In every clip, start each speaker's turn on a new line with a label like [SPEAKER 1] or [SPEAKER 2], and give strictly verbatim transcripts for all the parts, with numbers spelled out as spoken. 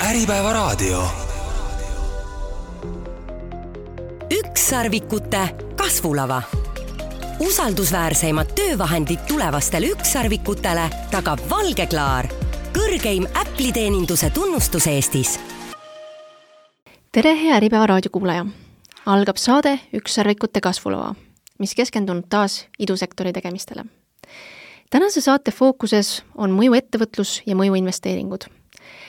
[SPEAKER 1] Äripäevaraadio.
[SPEAKER 2] Ükssarvikute kasvulava. Usaldusväärseimad töövahendid tulevastele ükssarvikutele tagab Valgeklaar, kõrgeim Apple'i-teeninduse tunnustus Eestis.
[SPEAKER 3] Tere, hea Äripäevaraadio kuulaja! Algab saade Ükssarvikute kasvulava, mis keskendunud taas idusektori tegemistele. Tänase saate fookuses on mõjuettevõtlus ja mõjuinvesteeringud.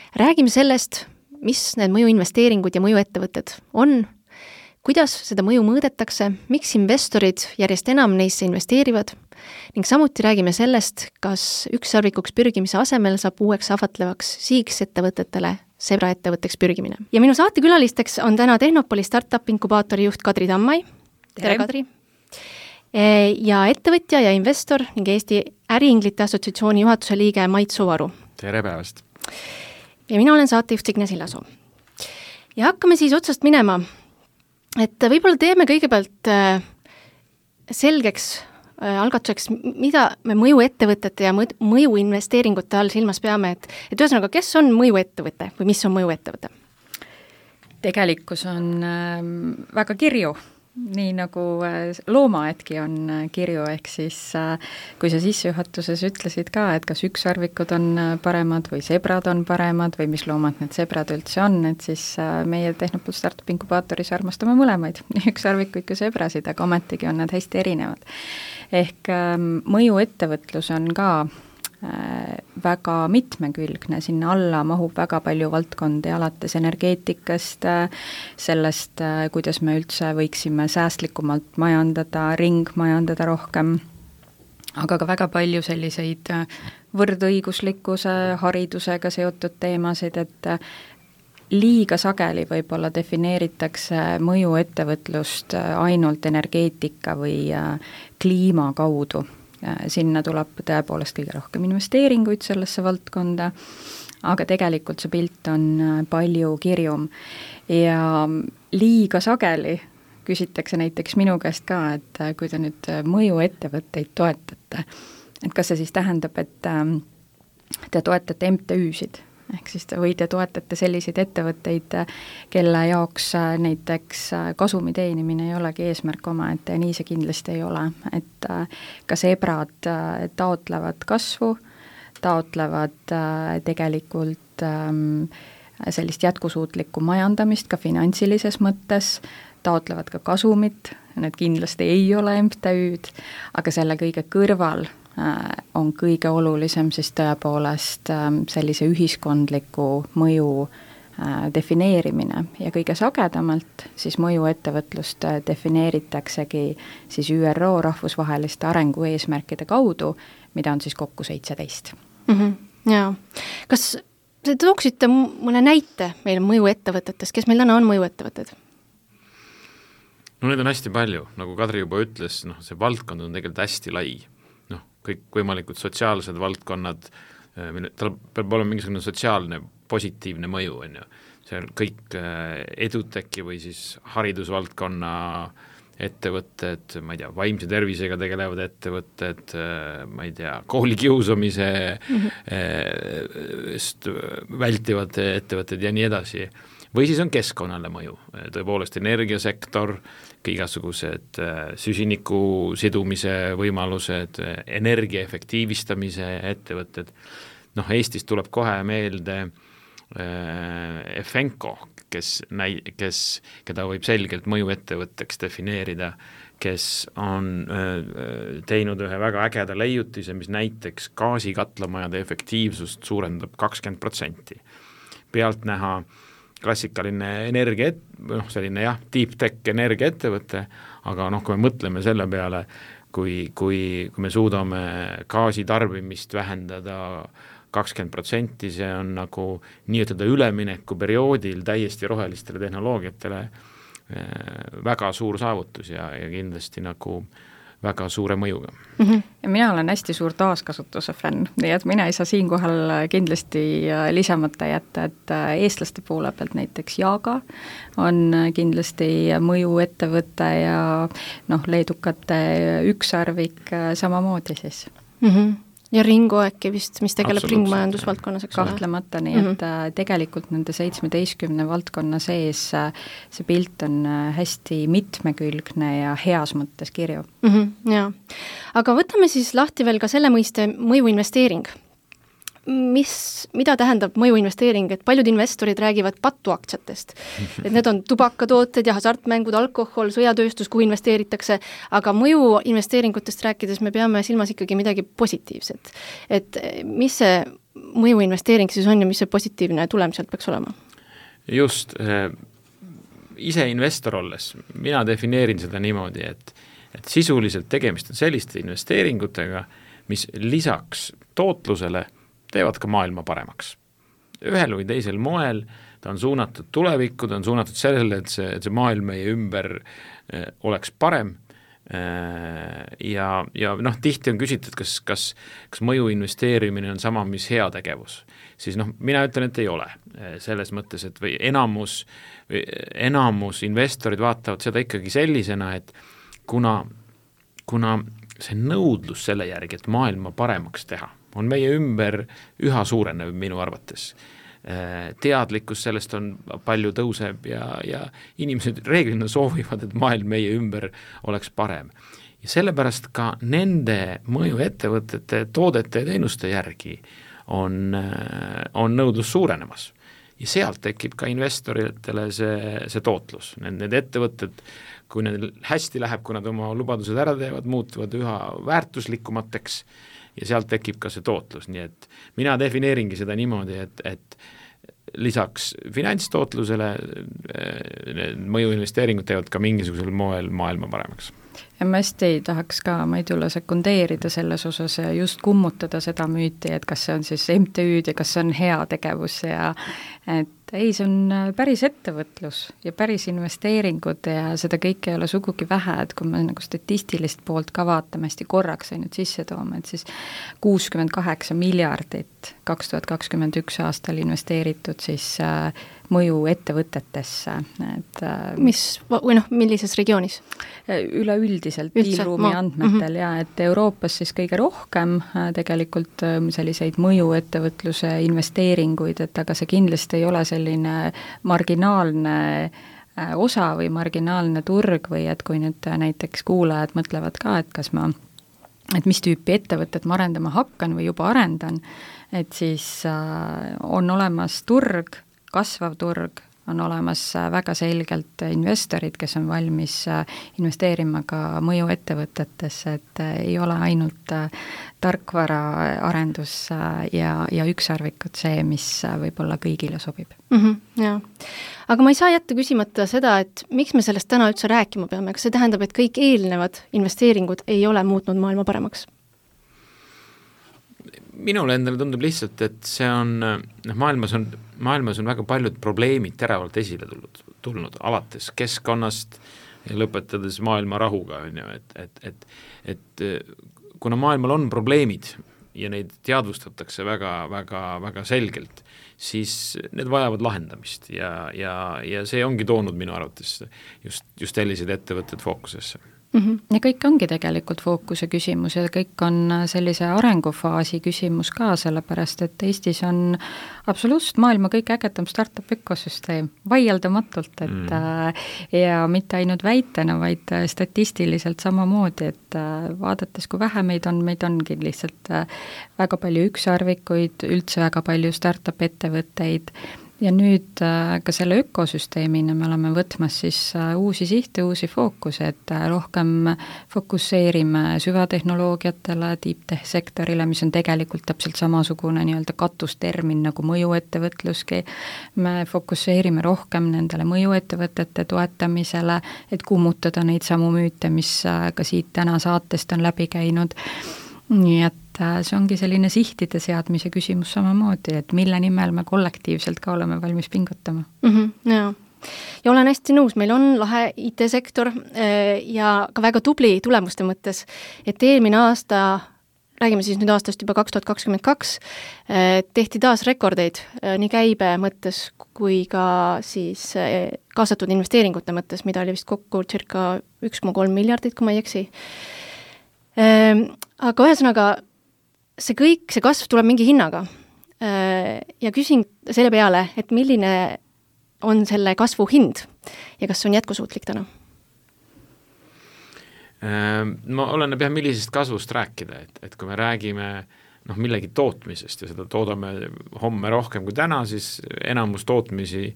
[SPEAKER 3] Räägime sellest, mis need mõjuinvesteeringud ja mõjuettevõtted on, kuidas seda mõju mõõdetakse, miks investorid järjest enam neisse investeerivad ning samuti räägime sellest, kas ükssarvikuks pürgimise asemel saab uueks ahvatlevaks siiks ettevõtetele sebraettevõtteks pürgimine. Ja minu saatekülalisteks on täna Tehnopoli startup inkubaatori juht Kadri Tammai. Tere, Kadri! Ja ettevõtja ja investor ning Eesti Äriinglite Assotsiatsiooni juhatuse liige Mait Suvaru.
[SPEAKER 4] Tere päevast!
[SPEAKER 3] Ja mina olen saatejuht Signe Sillasoo. Ja hakkame siis otsast minema, et võib-olla teeme kõigepealt selgeks algatuseks, mida me mõjuettevõtete ja mõjuinvesteeringute all silmas peame, et, et ühesõnaga, kes on mõjuettevõte või mis on mõjuettevõte?
[SPEAKER 5] Tegelikkus on väga kirju, nii nagu loomaedki on kirju, ehk siis kui sa sissejuhatuses ütlesid ka, et kas ükssarvikud on paremad või sebrad on paremad või mis loomad need sebrad üldse on, et siis meie Tehnopol startup inkubaatoris armastame mõlemaid, nii ükssarvikuid kui sebrasid, aga ometigi on nad hästi erinevad. Ehk mõjuettevõtlus on ka väga mitmekülgne, sinna alla mahub väga palju valdkondi, alates energeetikast, sellest, kuidas me üldse võiksime säästlikumalt majandada, ringmajandada rohkem, aga ka väga palju selliseid võrdõiguslikkuse, haridusega seotud teemasid, et liiga sageli võib-olla defineeritakse mõjuettevõtlust ainult energeetika või kliima kaudu. Sinna tuleb tõepoolest kõige rohkem investeeringuid sellesse valdkonda, aga tegelikult see pilt on palju kirjum ja liiga sageli küsitakse näiteks minu käest ka, et kui te nüüd mõjuettevõtteid toetate, et kas see siis tähendab, et te toetate M T Üsid, ehk siis te või te toetate selliseid ettevõtteid, kelle jaoks näiteks kasumi teenimine ei olegi eesmärk omaette ja nii see kindlasti ei ole, et ka sebrad taotlevad kasvu, taotlevad tegelikult sellist jätkusuutlikku majandamist ka finantsilises mõttes, taotlevad ka kasumit, need kindlasti ei ole M T Üd, aga selle kõige kõrval on kõige olulisem siis tõepoolest sellise ühiskondliku mõju defineerimine ja kõige sagedamalt siis mõjuettevõtlust defineeritaksegi siis Ü R O rahvusvaheliste arengueesmärkide kaudu, mida on siis kokku seitseteist.
[SPEAKER 3] Mm-hmm. Jaa. Kas te tooksite mõne näite meil mõjuettevõtetest, kes meil täna on mõjuettevõtted?
[SPEAKER 4] No need on hästi palju, nagu Kadri juba ütles, no, see valdkond on tegelikult hästi lai. Kõik võimalikud sotsiaalsed valdkonnad, tal peab olema mingisugune sotsiaalne positiivne mõju, on ju. See on kõik eduteki või siis haridusvaldkonna ettevõtted, ma ei tea, vaimse tervisega tegelevad ettevõtted, ma ei tea, koolikiusamise mm-hmm. vältivad ettevõtted ja nii edasi. Või siis on keskkonnale mõju, tõepoolest energiasektor, igasugused süsiniku sidumise võimalused, energia efektiivistamise ettevõtted. Noh, Eestis tuleb kohe meelde Efenko, kes, näi, kes, keda võib selgelt mõjuettevõtteks defineerida, kes on teinud ühe väga ägeda leiutise, mis näiteks gaasikatlamajade efektiivsust suurendab kakskümmend protsenti. Pealt näha klassikaline energia, noh selline jah, deep tech energiaettevõte, aga noh, kui me mõtleme selle peale, kui, kui, kui me suudame gaasitarbimist vähendada kakskümmend protsenti, see on nagu nii-ütelda ülemineku perioodil täiesti rohelistele tehnoloogiatele väga suur saavutus ja, ja kindlasti nagu väga suure mõjuga.
[SPEAKER 5] Mm-hmm. Ja mina olen hästi suur taaskasutuse fänn, nii et mina ei saa siinkohal kindlasti lisamata jätta, et eestlaste poole pealt näiteks Jaaga on kindlasti mõjuettevõte ja noh, leedukate ükssarvik samamoodi siis.
[SPEAKER 3] Mm-hmm. ja Ringo äkki vist, mis tegeleb ringmajandusvaldkonnas, eks ole?
[SPEAKER 5] Kahtlemata, nii et mm-hmm. tegelikult nende seitsmeteistkümne valdkonna sees see pilt on hästi mitmekülgne ja heas mõttes kirju.
[SPEAKER 3] Mm-hmm, jaa. Aga võtame siis lahti veel ka selle mõiste mõjuinvesteering. Mis, mida tähendab mõjuinvesteering, et paljud investorid räägivad patuaktsiatest, et need on tubakatooted ja hasartmängud, alkohol, sõjatööstus, kuhu investeeritakse, aga mõjuinvesteeringutest rääkides me peame silmas ikkagi midagi positiivset. Et mis see mõjuinvesteering siis on ja mis see positiivne tulem sealt peaks olema?
[SPEAKER 4] Just, ise investor olles, mina defineerin seda niimoodi, et, et sisuliselt tegemist on selliste investeeringutega, mis lisaks tootlusele teevad ka maailma paremaks. Ühel või teisel moel ta on suunatud tulevikku, ta on suunatud sellele, et see, et see maailm meie ümber eh, oleks parem eh, ja, ja noh, tihti on küsitud, kas, kas, kas mõju investeerimine on sama, mis heategevus. Siis noh, mina ütlen, et ei ole selles mõttes, et või enamus, või enamus investorid vaatavad seda ikkagi sellisena, et kuna, kuna see nõudlus selle järgi, et maailma paremaks teha, on meie ümber üha suurenev minu arvates. Teadlikkus sellest on palju tõuseb ja, ja inimesed reeglina soovivad, et maailm meie ümber oleks parem. Ja sellepärast ka nende mõjuettevõtete, toodete ja teenuste järgi on, on nõudlus suurenemas. Ja sealt tekib ka investoritele see, see tootlus. Need, need ettevõtted, kui neil hästi läheb, kui nad oma lubadused ära teevad, muutuvad üha väärtuslikumateks ja sealt tekib ka see tootlus, nii et mina defineeringi seda niimoodi, et, et lisaks finantstootlusele mõjuinvesteeringud teevad ka mingisugusel moel maailma paremaks.
[SPEAKER 5] Ja ma hästi tahaks ka Maidula sekundeerida selles osas ja just kummutada seda müüti, et kas see on siis M T Üd ja kas see on hea tegevus ja et ei, see on päris ettevõtlus ja päris investeeringud ja seda kõike ei ole sugugi vähe, et kui me nagu statistilist poolt ka vaatame hästi korraks ainult sisse toome, et siis kuuskümmend kaheksa miljardit kaks tuhat kakskümmend üks aastal investeeritud siis äh, mõju ettevõtetesse. Et, äh,
[SPEAKER 3] mis, või noh, millises regioonis?
[SPEAKER 5] Üleüldiselt piilruumi andmetel mm-hmm. ja et Euroopas siis kõige rohkem äh, tegelikult äh, selliseid mõju ettevõtluse investeeringuid, et aga see kindlasti ei ole selline marginaalne äh, osa või marginaalne turg või et kui nüüd näiteks kuulajad mõtlevad ka, et kas ma et mis tüüpi ettevõtet ma arendama hakkan või juba arendan, et siis äh, on olemas turg, kasvav turg, on olemas väga selgelt investorid, kes on valmis investeerima ka mõjuettevõtetesse, et ei ole ainult tarkvaraarendus ja, ja ükssarvikud see, mis võib-olla kõigile sobib.
[SPEAKER 3] Mm-hmm, jaa. Aga ma ei saa jätta küsimata seda, et miks me sellest täna üldse rääkima peame, kas see tähendab, et kõik eelnevad investeeringud ei ole muutnud maailma paremaks?
[SPEAKER 4] Minule endale tundub lihtsalt, et see on, noh, maailmas on, maailmas on väga paljud probleemid teravalt esile tulnud, tulnud alates keskkonnast ja lõpetades maailma rahuga, on ju, et, et, et, et kuna maailmal on probleemid ja neid teadvustatakse väga, väga, väga selgelt, siis need vajavad lahendamist ja, ja, ja see ongi toonud minu arvates just, just sellised ettevõtted fookusesse.
[SPEAKER 5] Mm-hmm. Ja kõik ongi tegelikult fookuse küsimus ja kõik on sellise arengufaasi küsimus ka, sellepärast et Eestis on absoluutselt maailma kõik ägedam startup ökosüsteem, vaieldamatult, et mm. ja mitte ainult väitena, vaid statistiliselt samamoodi, et vaadates, kui vähe meid on, meid ongi lihtsalt väga palju ükssarvikuid, üldse väga palju startup ettevõtteid. Ja nüüd ka selle ökosüsteemina me oleme võtmas siis uusi sihte, uusi fookuse, et rohkem fokusseerime süvatehnoloogiatele, deep-tech sektorile, mis on tegelikult täpselt samasugune nii-öelda katustermin nagu mõjuettevõtluski. Me fokusseerime rohkem nendele mõjuettevõtete toetamisele, et kummutada neid samu müüte, mis ka siit täna saatest on läbi käinud. Nii et see ongi selline sihtide seadmise küsimus samamoodi, et mille nimel me kollektiivselt ka oleme valmis pingutama.
[SPEAKER 3] Mm-hmm, jaa. Ja olen hästi nõus, meil on lahe I T-sektor ja ka väga tubli tulemuste mõttes, et eelmine aasta, räägime siis nüüd aastast juba kaks tuhat kakskümmend kaks, tehti taas rekordeid nii käibe mõttes kui ka siis kaasatud investeeringute mõttes, mida oli vist kokku circa üks koma kolm miljardit, kui ma ei eksi. Aga ühesõnaga, see kõik, see kasv tuleb mingi hinnaga ja küsin selle peale, et milline on selle kasvu hind ja kas see on jätkusuutlik täna?
[SPEAKER 4] Ma oleneb jah, millisest kasvust rääkida, et, et kui me räägime noh, millegi tootmisest ja seda toodame homme rohkem kui täna, siis enamus tootmisi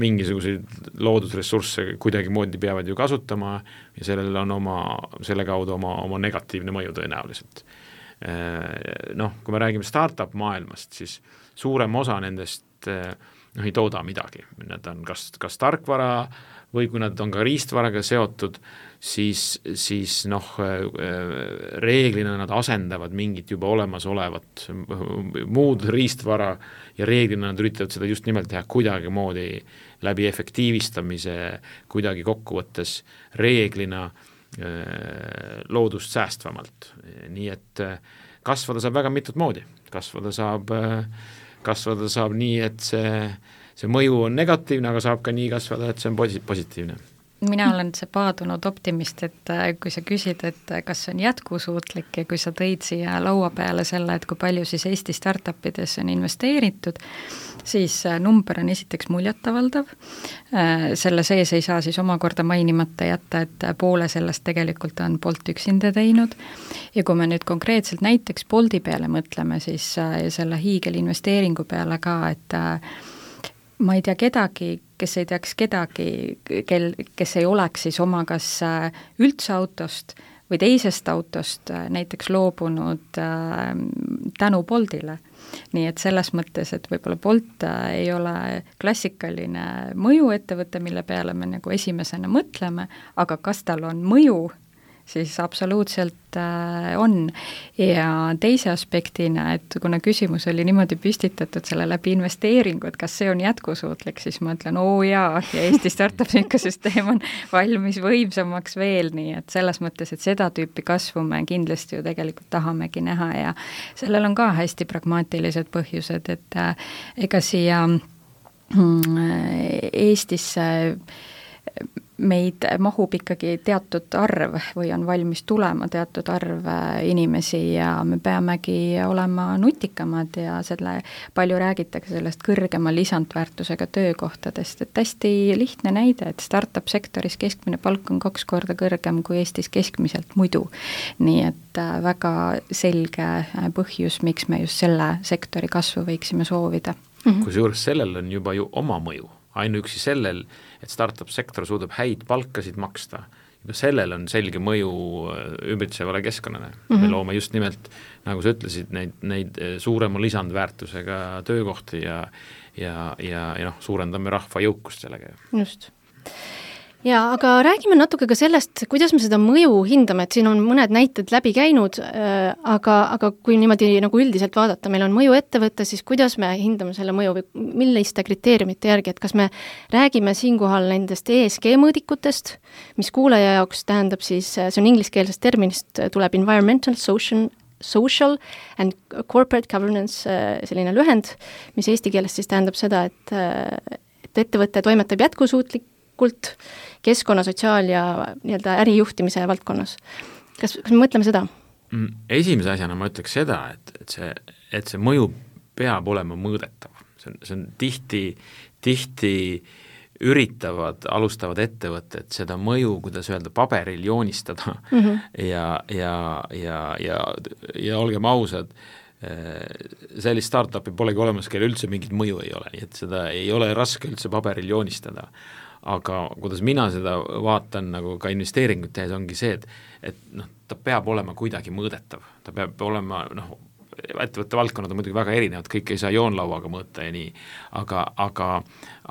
[SPEAKER 4] mingisuguseid loodusressursse kuidagi moodi peavad ju kasutama ja sellel on oma, selle kaudu oma, oma negatiivne mõju tõenäoliselt. Noh, kui me räägime startup maailmast, siis suurem osa nendest noh, ei tooda midagi. Nad on kas, kas tarkvara või kui nad on ka riistvaraga seotud, siis, siis noh, reeglina nad asendavad mingit juba olemasolevat muud riistvara ja reeglina nad üritavad seda just nimelt teha kuidagi moodi läbi efektiivistamise, kuidagi kokkuvõttes reeglina loodust säästvamalt. Nii et kasvada saab väga mitut moodi. Kasvada saab, kasvada saab nii, et see, see mõju on negatiivne, aga saab ka nii kasvada, et see on positiivne.
[SPEAKER 5] Mina olen see paadunud optimist, et kui sa küsid, et kas see on jätkusuutlik ja kui sa tõid siia laua peale selle, et kui palju siis Eesti startupides on investeeritud, siis number on esiteks muljatavaldav. Selle sees ei saa siis omakorda mainimata jätta, et poole sellest tegelikult on Bolt üksinda teinud. Ja kui me nüüd konkreetselt näiteks Bolti peale mõtleme, siis selle hiigelinvesteeringu peale ka, et ma ei tea kedagi, kes ei teaks kedagi, kel, kes ei oleks siis oma kas üldse autost või teisest autost näiteks loobunud tänu Boltile. Nii et selles mõttes, et võib-olla Bolt ei ole klassikaline mõjuettevõte, mille peale me nagu esimesena mõtleme, aga kas tal on mõju, siis absoluutselt on. Ja teise aspektina, et kuna küsimus oli niimoodi püstitatud selle läbi investeeringu, et kas see on jätkusuutlik, siis ma ütlen, oo jaa, ja Eesti startup ökosüsteem on valmis võimsamaks veel, nii et selles mõttes, et seda tüüpi kasvu me kindlasti ju tegelikult tahamegi näha ja sellel on ka hästi pragmaatilised põhjused, et ega siia Eestisse meid mahub ikkagi teatud arv või on valmis tulema teatud arv inimesi ja me peamegi olema nutikamad ja selle palju räägitakse sellest kõrgema lisandväärtusega töökohtadest, et hästi lihtne näide, et startup sektoris keskmine palk on kaks korda kõrgem kui Eestis keskmiselt muidu. Nii et väga selge põhjus, miks me just selle sektori kasvu võiksime soovida.
[SPEAKER 4] Mm-hmm. Kui juures sellel on juba ju oma mõju, ainuüksi sellel, et startup sektor suudab häid palkasid maksta, juba sellel on selge mõju ümbritsevale keskkonnale. Mm-hmm. Me loome just nimelt, nagu sa ütlesid, neid, neid suurema lisandväärtusega töökohti ja, ja, ja, ja noh, suurendame rahva jõukust sellega.
[SPEAKER 3] Just. Ja, aga räägime natuke ka sellest, kuidas me seda mõju hindame, et siin on mõned näited läbi käinud, aga, aga kui niimoodi nagu üldiselt vaadata, meil on mõju ettevõtte, siis kuidas me hindame selle mõju või milliste kriteeriumite järgi, et kas me räägime siinkohal nendest E S G mõõdikutest, mis kuulaja jaoks tähendab siis, see on ingliskeelsest terminist, tuleb environmental, social, social and corporate governance, selline lühend, mis eesti keeles siis tähendab seda, et, et ettevõte toimetab jätkusuutlik kult keskkonna, sotsiaal- ja nii-öelda ärijuhtimise valdkonnas. Kas, kas me mõtleme seda?
[SPEAKER 4] Esimese asjana ma ütleks seda, et, et, see, et see mõju peab olema mõõdetav. See on, see on tihti, tihti üritavad, alustavad ettevõtted seda mõju, kuidas öelda, paberil joonistada mm-hmm. ja, ja, ja, ja, ja olgem ausad, sellist startupi polegi olemas, kelle üldse mingit mõju ei ole, nii et seda ei ole raske üldse paberil joonistada. Aga kuidas mina seda vaatan nagu ka investeeringut tehes, ongi see, et, et noh, ta peab olema kuidagi mõõdetav. Ta peab olema, noh, ettevõtte valdkonnad on muidugi väga erinevad, kõik ei saa joonlauaga mõõta ja nii, aga, aga,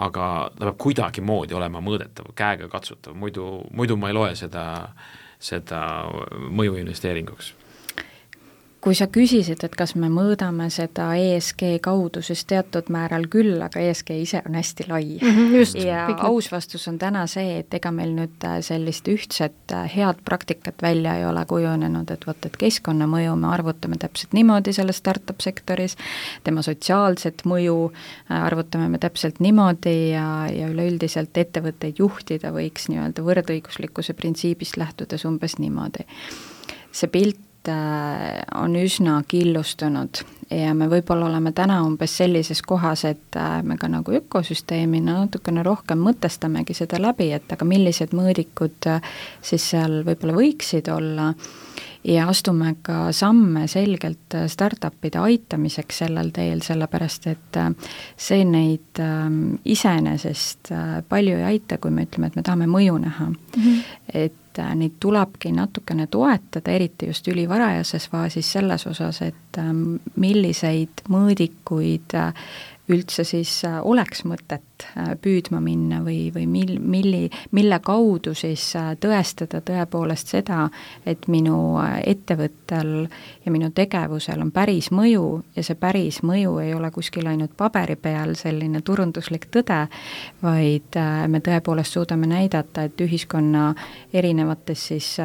[SPEAKER 4] aga ta peab kuidagi moodi olema mõõdetav, käega katsutav, muidu, muidu ma ei loe seda, seda mõju investeeringuks.
[SPEAKER 5] Kui sa küsisid, et kas me mõõdame seda E S G kaudu, siis teatud määral küll, aga E S G ise on hästi lai.
[SPEAKER 3] Mm-hmm, just,
[SPEAKER 5] ja aus vastus on täna see, et ega meil nüüd sellist ühtset head praktikat välja ei ole kujunenud, et võt, et keskkonnamõju me arvutame täpselt niimoodi selles startup sektoris, tema sotsiaalset mõju arvutame me täpselt niimoodi ja, ja üleüldiselt ettevõtteid juhtida võiks nii-öelda võrdõiguslikkuse printsiibist lähtudes umbes niimoodi. See pilt on üsna killustunud ja me võib-olla oleme täna umbes sellises kohas, et me ka nagu ökosüsteemina natukene rohkem mõtestamegi seda läbi, et aga millised mõõdikud siis seal võib-olla võiksid olla ja astume ka samme selgelt startupide aitamiseks sellel teel, sellepärast et see neid iseenesest palju ei aita, kui me ütleme, et me tahame mõju näha. Mm-hmm. Et neid tulebki natukene toetada, eriti just ülivarajases faasis selles osas, et milliseid mõõdikuid üldse siis oleks mõtet püüdma minna või, või mil, milli, mille kaudu siis tõestada tõepoolest seda, et minu ettevõttel ja minu tegevusel on päris mõju ja see päris mõju ei ole kuskil ainult paberi peal selline turunduslik tõde, vaid me tõepoolest suudame näidata, et ühiskonna erinevates siis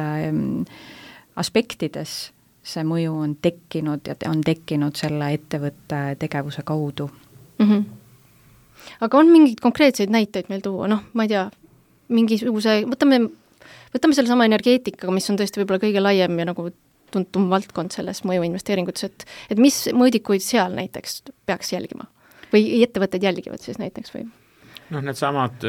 [SPEAKER 5] aspektides see mõju on tekkinud ja on tekkinud selle ettevõtte tegevuse kaudu.
[SPEAKER 3] Mm-hmm. Aga on mingeid konkreetseid näiteid meil tuua, noh, ma ei tea, mingisuguse, võtame, võtame selle sama energeetikaga, mis on tõesti võib-olla kõige laiem ja nagu tuntum valdkond selles mõjuinvesteeringutes, et, et mis mõõdikuid seal näiteks peaks jälgima? Või ettevõtted jälgivad siis näiteks või?
[SPEAKER 4] Noh, need samad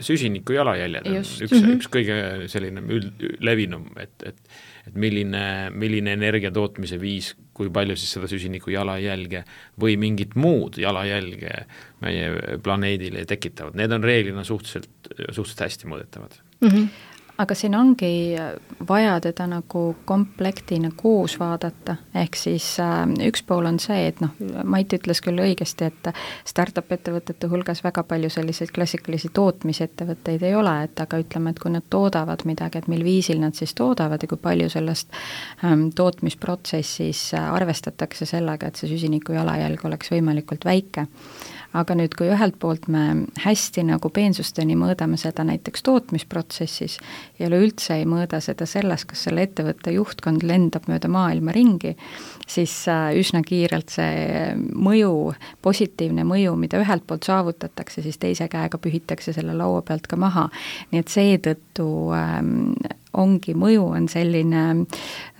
[SPEAKER 4] süsiniku jalajäljed on
[SPEAKER 5] Just.
[SPEAKER 4] üks, mm-hmm. üks kõige selline üld, levinum, et, et, et milline, milline energia tootmise viis, kui palju siis seda süsiniku jalajälge või mingit muud jalajälge meie planeedile tekitavad. Need on reeglina suhteliselt, suhteliselt hästi mõõdetavad.
[SPEAKER 5] Mm-hmm. Aga siin ongi vaja teda nagu komplektina koos vaadata, ehk siis äh, üks pool on see, et noh, Mait ütles küll õigesti, et startup ettevõtete hulgas väga palju selliseid klassikalisi tootmisettevõtteid ei ole, et aga ütleme, et kui nad toodavad midagi, et mil viisil nad siis toodavad ja kui palju sellest ähm, tootmisprotsessis arvestatakse sellega, et see süsiniku jalajälg oleks võimalikult väike. Aga nüüd, kui ühelt poolt me hästi nagu peensusteni mõõdame seda näiteks tootmisprotsessis ja üleüldse ei mõõda seda selles, kas selle ettevõtte juhtkond lendab mööda maailma ringi, siis üsna kiirelt see mõju, positiivne mõju, mida ühelt poolt saavutatakse, siis teise käega pühitakse selle laua pealt ka maha. Nii et seetõttu ähm, ongi mõju on selline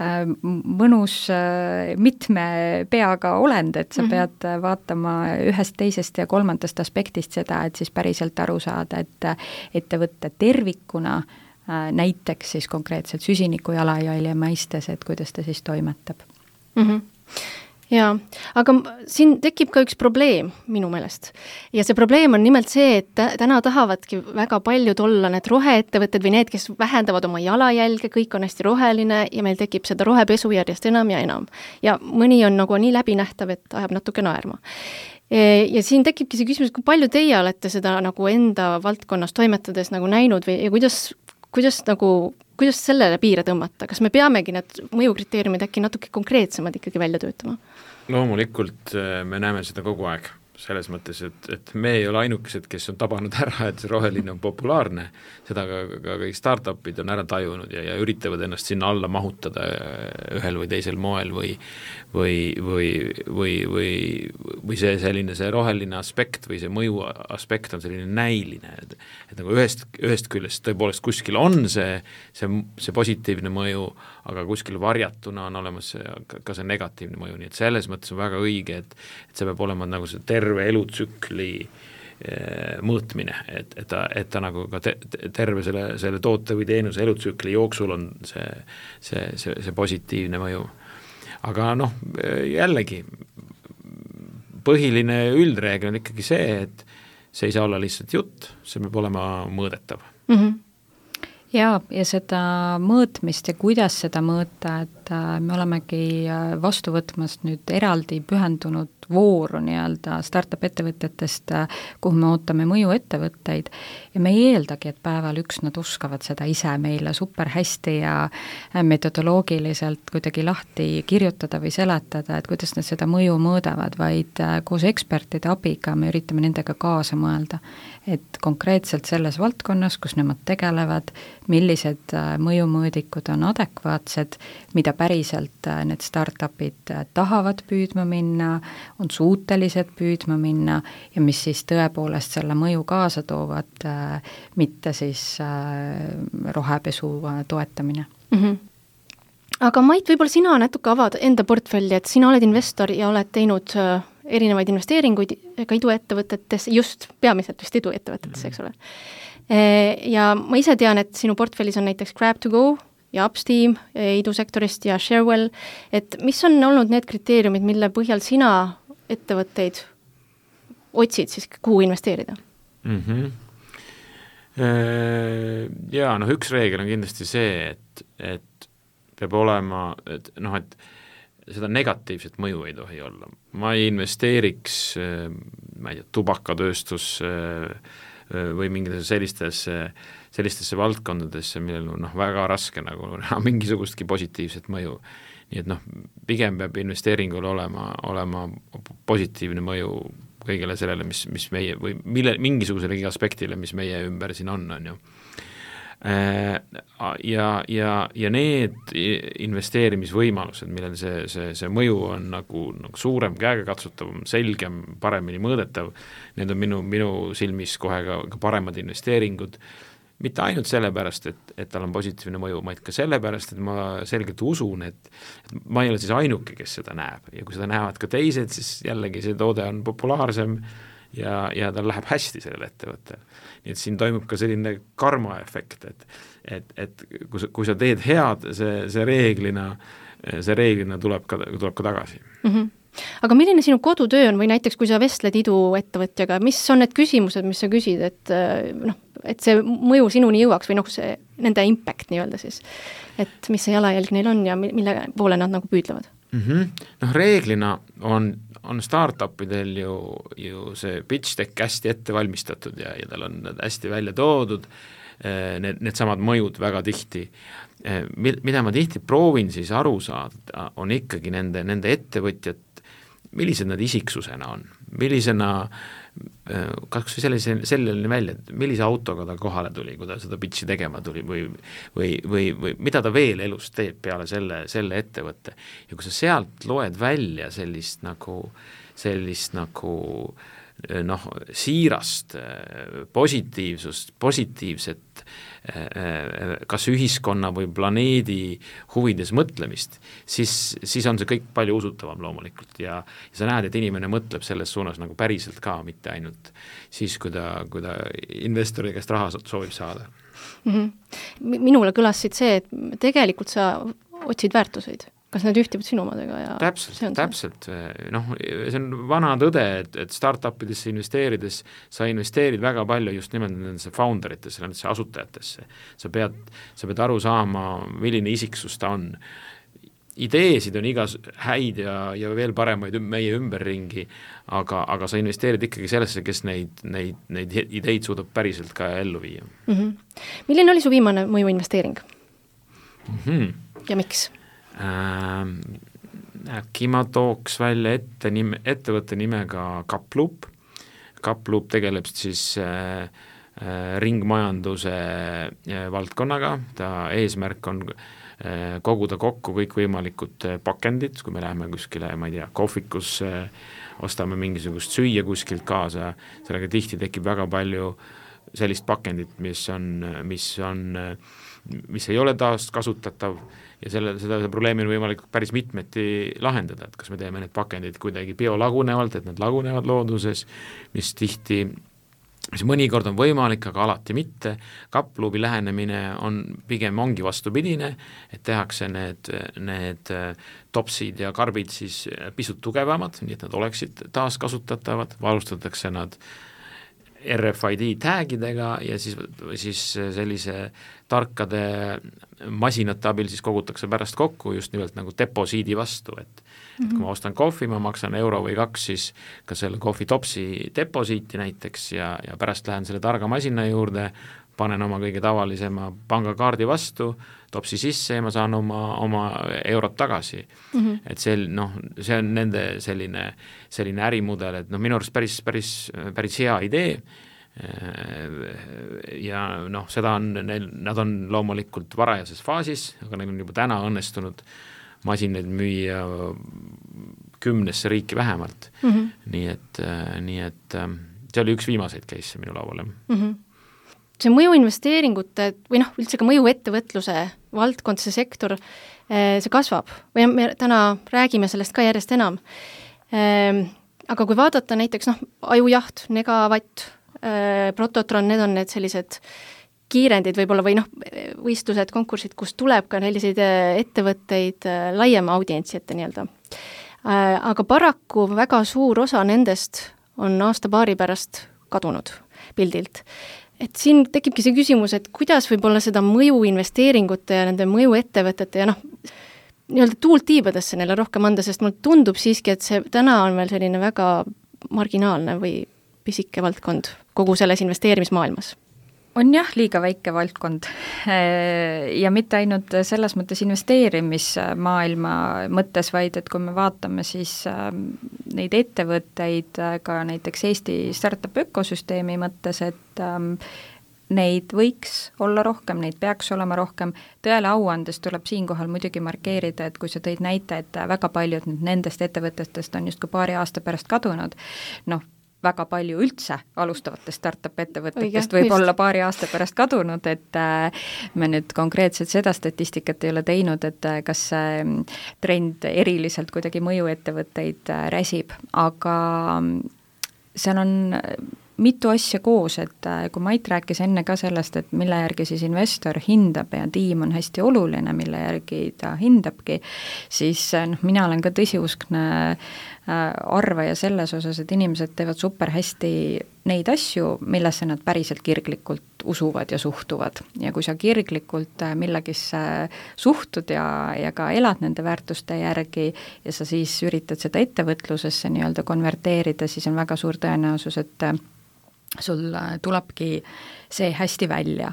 [SPEAKER 5] äh, mõnus äh, mitme peaga olend, et sa mm-hmm. pead vaatama ühest, teisest ja kolmandast aspektist seda, et siis päriselt aru saada, et ettevõtte tervikuna äh, näiteks siis konkreetselt süsiniku jalajälje mõistes, et kuidas ta siis toimetab.
[SPEAKER 3] Mm-hmm. Jaa, aga siin tekib ka üks probleem minu meelest. Ja see probleem on nimelt see, et täna tahavadki väga paljud olla need roheettevõtted või need, kes vähendavad oma jalajälge, kõik on hästi roheline ja meil tekib seda rohepesu järjest enam ja enam. Ja mõni on nagu nii läbinähtav, et ajab natuke naerma. Ja siin tekibki see küsimus, kui palju teie olete seda nagu enda valdkonnas toimetades nagu näinud või ja kuidas, kuidas nagu kuidas sellele piire tõmmata? Kas me peamegi need mõjukriteeriumid äkki natuke konkreetsemad ikkagi välja töötama?
[SPEAKER 4] Loomulikult me näeme seda kogu aeg, selles mõttes, et, et me ei ole ainukesed, kes on tabanud ära, et see roheline on populaarne, seda ka, ka kõik startupid on ära tajunud ja, ja üritavad ennast sinna alla mahutada ühel või teisel moel või, või, või, või, või, või see selline see roheline aspekt või see mõju aspekt on selline näiline, et, et nagu ühest, ühest küljest tõepoolest kuskil on see, see, see positiivne mõju, aga kuskil varjatuna on olemas see, ka see negatiivne mõju, nii et selles mõttes on väga õige, et, et see peab olema nagu see terve elutsükli mõõtmine, et, et, ta, et ta nagu ka te, terve selle, selle toote või teenuse elutsükli jooksul on see, see, see, see positiivne mõju. Aga noh, jällegi põhiline üldreegel on ikkagi see, et see ei saa olla lihtsalt jutt, see peab olema mõõdetav.
[SPEAKER 5] Mm-hmm. Jaa, ja seda mõõtmist ja kuidas seda mõõta, et me olemegi vastu võtmas nüüd eraldi pühendunud vooru nii-öelda startup ettevõtetest, kuhu me ootame mõju ettevõtteid ja me ei eeldagi, et päeval üks nad oskavad seda ise meile super hästi ja metodoloogiliselt kuidagi lahti kirjutada või seletada, et kuidas nad seda mõju mõõdavad, vaid koos ekspertide abiga me üritame nendega kaasa mõelda, et konkreetselt selles valdkonnas, kus nemad tegelevad, millised mõjumõõdikud on adekvaatsed, mida päriselt need startupid tahavad püüdma minna, on suutelised püüdma minna ja mis siis tõepoolest selle mõju kaasa toovad, mitte siis rohepesu toetamine.
[SPEAKER 3] Mm-hmm. aga Mait, võib-olla sina natuke avad enda portfelli, et sina oled investor ja oled teinud erinevaid investeeringuid ka iduettevõtetes, just peamiselt vist iduettevõtetes, eks ole. Ja ma ise tean, et sinu portfellis on näiteks Grab to Go ja Upsteam idusektorist ja Sharewell, et mis on olnud need kriteeriumid, mille põhjal sina ettevõtteid otsid siis, kuhu investeerida?
[SPEAKER 4] Mm-hmm. Ja noh, üks reegel on kindlasti see, et, et peab olema, et noh, et seda negatiivset mõju ei tohi olla. Ma ei investeeriks, ma ei tea, tubakatööstus või mingitesse sellistesse, sellistesse valdkondadesse, millel on noh, väga raske nagu mingisugustki positiivset mõju. Nii et noh, pigem peab investeeringul olema, olema positiivne mõju kõigele sellele, mis, mis meie või mille, mingisugusele aspektile, mis meie ümber siin on, on ju. Ja, ja, ja need investeerimisvõimalused, millel see, see, see mõju on nagu, nagu suurem, käegakatsutavam, selgem, paremini mõõdetav, need on minu, minu silmis kohe ka, ka paremad investeeringud, mitte ainult sellepärast, et, et tal on positiivne mõju, vaid ka sellepärast, et ma selgelt usun, et, et ma ei ole siis ainuke, kes seda näeb ja kui seda näevad ka teised, siis jällegi see toode on populaarsem ja, ja tal läheb hästi sellel ettevõttel. Nii et siin toimub ka selline karmaefekt, et, et, et kui, kui sa teed head, see, see reeglina, see reeglina tuleb ka, tuleb ka tagasi.
[SPEAKER 3] Mm-hmm. Aga milline sinu kodutöö on või näiteks, kui sa vestled iduettevõtjaga, mis on need küsimused, mis sa küsid, et, noh, et see mõju sinuni jõuaks või noh, see nende impact nii-öelda siis, et mis see jalajälg neil on ja mille poole nad nagu püüdlevad?
[SPEAKER 4] Mm-hmm. Noh, reeglina on, on startupidel ju, ju see pitch deck hästi ette valmistatud ja, ja tal on hästi välja toodud, need, need samad mõjud väga tihti. Mida ma tihti proovin siis aru saada, on ikkagi nende, nende ettevõtjad, millised nad isiksusena on, millisena, kas või sellise, sellele välja, et millise autoga ta kohale tuli, kui ta seda pitchi tegema tuli või, või, või, või mida ta veel elus teeb peale selle, selle ettevõtte. Ja kui sa sealt loed välja sellist nagu, sellist nagu noh, siirast, positiivsust, positiivset kas ühiskonna või planeedi huvides mõtlemist, siis, siis on see kõik palju usutavam loomulikult ja, ja sa näed, et inimene mõtleb selles suunas nagu päriselt ka, mitte ainult siis, kui ta, kui ta investori käest raha soovib saada.
[SPEAKER 3] Mm-hmm. Minule kõlasid see, et tegelikult sa otsid väärtuseid. Kas need ühtivad sinu omadega? Ja
[SPEAKER 4] täpselt, täpselt. Noh, see on vana tõde, et, et startupidesse investeerides sa investeerid väga palju just nimelt nendesse founderitesse, nendesse asutajatesse. Sa pead, sa pead aru saama, milline isiksus ta on. Ideesid on igas häid ja, ja veel paremaid meie ümberringi, aga, aga sa investeerid ikkagi sellesse, kes neid, neid, neid ideid suudab päriselt ka ellu viia.
[SPEAKER 3] Mm-hmm. Milline oli su viimane mõju investeering?
[SPEAKER 4] Mm-hmm.
[SPEAKER 3] Ja miks?
[SPEAKER 4] Äh, äkki ma tooks välja ette nime, ettevõtte nimega Kaploop. Kaploop tegeleb siis äh, äh, ringmajanduse äh, valdkonnaga, ta eesmärk on äh, koguda kokku kõikvõimalikud äh, pakendid, kui me läheme kuskile, ma ei tea, kohvikus äh, ostame mingisugust süüa kuskilt kaasa, sellega tihti tekib väga palju sellist pakendit, mis on, mis on, mis ei ole taas kasutatav ja selle, seda probleemi on võimalik päris mitmeti lahendada, et kas me teeme need pakendid kuidagi biolagunevalt, et need lagunevad looduses, mis tihti, mis mõnikord on võimalik, aga alati mitte. Kaploobi lähenemine on pigem ongi vastupidine, et tehakse need, need topsid ja karbid siis pisut tugevamad, nii et nad oleksid taaskasutatavad, varustatakse nad R F I D tagidega ja siis, siis sellise tarkade masinate abil siis kogutakse pärast kokku just nimelt nagu deposiidi vastu, et, mm-hmm. et kui ma ostan kohvi, ma maksan euro või kaks siis ka selle kohvi topsi deposiiti näiteks ja, ja pärast lähen selle targa masina juurde, panen oma kõige tavalisema pangakaardi vastu, topsi sisse ja ma saan oma, oma eurot tagasi. Mm-hmm. Et see, no, see on nende selline, selline ärimudel, et no, minu arust päris, päris, päris hea idee ja noh, seda on, nad on loomulikult varajases faasis, aga neil on juba täna õnnestunud masinaid müüa kümnesse riiki vähemalt. Mm-hmm. Nii et, nii et see oli üks viimaseid case minu lauale.
[SPEAKER 3] Mm-hmm. see mõjuinvesteeringute või noh, üldse ka mõjuettevõtluse valdkond, see sektor, see kasvab või me täna räägime sellest ka järjest enam. Aga kui vaadata näiteks noh, ajujaht, Negavatt, Prototron, need on need sellised kiirendid võib-olla või noh, võistlused, konkursid, kus tuleb ka selliseid ettevõtteid laiema audientsi ette nii-öelda. Aga paraku väga suur osa nendest on aasta-paari pärast kadunud pildilt. Et siin tekibki see küsimus, et kuidas võib-olla seda mõju investeeringute ja nende mõju ettevõtete ja noh, nii-öelda tuult tiibadesse neile rohkem anda, sest mulle tundub siiski, et see täna on veel selline väga marginaalne või pisike valdkond kogu selles investeerimismaailmas.
[SPEAKER 5] On jah, liiga väike valdkond ja mitte ainult selles mõttes investeerimismaailma mõttes, vaid et kui me vaatame siis neid ettevõtteid ka näiteks Eesti startup ökosüsteemi mõttes, et neid võiks olla rohkem, neid peaks olema rohkem. Tõele au andes tuleb siinkohal muidugi markeerida, et kui sa tõid näite, et väga paljud nendest ettevõtetest on just kui paari aasta pärast kadunud, noh, väga palju üldse alustavatest startup ettevõtetest võib olla paari aasta pärast kadunud, et me nüüd konkreetselt seda statistikat ei ole teinud, et kas see trend eriliselt kuidagi mõjuettevõtteid räsib, aga seal on mitu asja koos, et kui Mait rääkis enne ka sellest, et mille järgi siis investor hindab ja tiim on hästi oluline, mille järgi ta hindabki, siis noh, mina olen ka tõsiuskne arvaja selles osas, et inimesed teevad super hästi neid asju, millesse nad päriselt kirglikult usuvad ja suhtuvad. Ja kui sa kirglikult millegisse suhtud ja, ja ka elad nende väärtuste järgi ja sa siis üritad seda ettevõtlusesse nii-öelda konverteerida, siis on väga suur tõenäosus, et sul tulebki see hästi välja.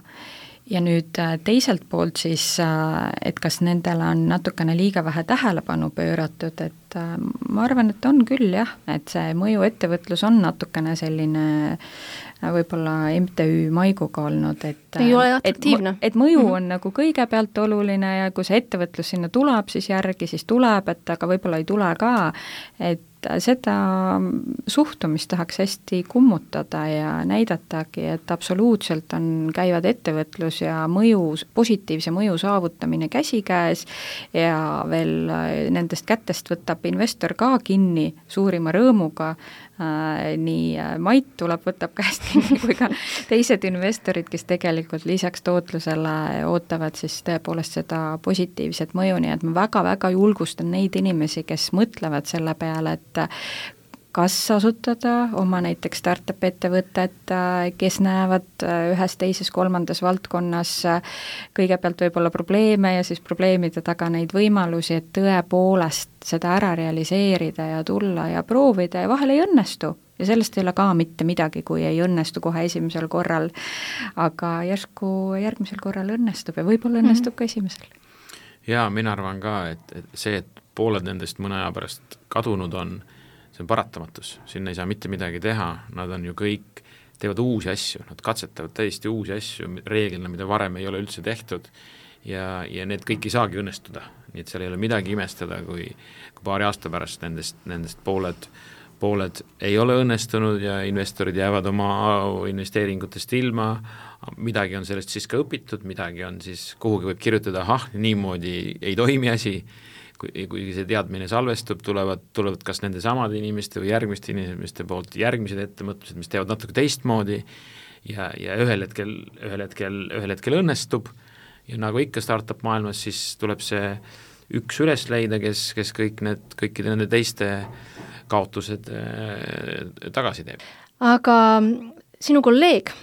[SPEAKER 5] Ja nüüd teiselt poolt siis, et kas nendele on natukene liiga vähe tähelepanu pööratud, et ma arvan, et on küll jah, et see mõjuettevõtlus on natukene selline võib-olla M T Ü maiguga olnud, et
[SPEAKER 3] ei ole atraktiivne.
[SPEAKER 5] Et, et mõju on mm-hmm. nagu kõigepealt oluline ja kui see ettevõtlus sinna tuleb, siis järgi siis tuleb, et aga võib-olla ei tule ka, et seda suhtumist tahaks hästi kummutada ja näidatagi, et absoluutselt on, käivad ettevõtlus ja mõju, positiivse mõju saavutamine käsikäes ja veel nendest kätest võtab investor ka kinni suurima rõõmuga, nii Mait tuleb, võtab käest kinni kui ka teised investorid, kes tegelikult lisaks tootlusele ootavad siis tõepoolest seda positiivset mõju, nii et ma väga-väga julgustan neid inimesi, kes mõtlevad selle peale, et kas asutada oma näiteks startup ettevõtet, kes näevad ühes, teises, kolmandas valdkonnas kõigepealt võib-olla probleeme ja siis probleemide taga neid võimalusi, et tõepoolest seda ära realiseerida ja tulla ja proovida ja vahel ei õnnestu. Ja sellest ei ole ka mitte midagi, kui ei õnnestu kohe esimesel korral, aga järsku järgmisel korral õnnestub ja võib-olla õnnestub ka esimesel.
[SPEAKER 4] Jaa, mina arvan ka, et, et see, et pooled nendest mõne aja pärast kadunud on, see on paratamatus, sinna ei saa mitte midagi teha, nad on ju kõik, teevad uusi asju, nad katsetavad täiesti uusi asju, reeglina, mida varem ei ole üldse tehtud ja, ja need kõik ei saagi õnnestuda, nii et seal ei ole midagi imestada, kui, kui paari aasta pärast nendest, nendest pooled, pooled ei ole õnnestunud ja investorid jäävad oma investeeringutest ilma, midagi on sellest siis ka õpitud, midagi on siis, kuhugi võib kirjutada, ahah, niimoodi ei toimi asi, kui, kui see teadmine salvestub, tulevad, tulevad kas nende samade inimeste või järgmiste inimeste poolt järgmised ettemõtlused, mis teevad natuke teistmoodi ja, ja ühel hetkel, ühel hetkel, ühel hetkel õnnestub ja nagu ikka startup maailmas, siis tuleb see üks üles leida, kes, kes kõik need, kõikide nende teiste kaotused äh, tagasi teeb.
[SPEAKER 3] Aga sinu kolleeg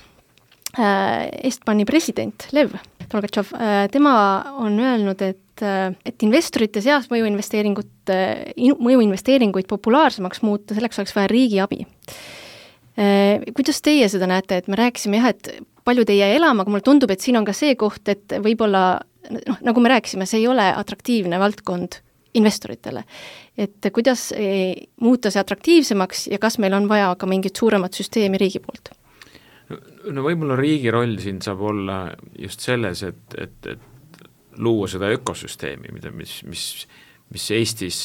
[SPEAKER 3] äh, Estbani president Lev Tolgatšov, äh, tema on öelnud, et et investorite seas mõjuinvesteeringut, mõjuinvesteeringuid populaarsemaks muuta, selleks oleks vaja riigi abi. Kuidas teie seda näete, et me rääkisime jah, et paljud ei jää elama, aga mulle tundub, et siin on ka see koht, et võib-olla, noh, nagu me rääkisime, see ei ole atraktiivne valdkond investoritele. Et kuidas muuta see atraktiivsemaks ja kas meil on vaja ka mingit suuremat süsteemi riigi poolt?
[SPEAKER 4] No võib-olla riigi roll siin saab olla just selles, et, et, et luua seda ökosüsteemi, mida, mis, mis, mis Eestis,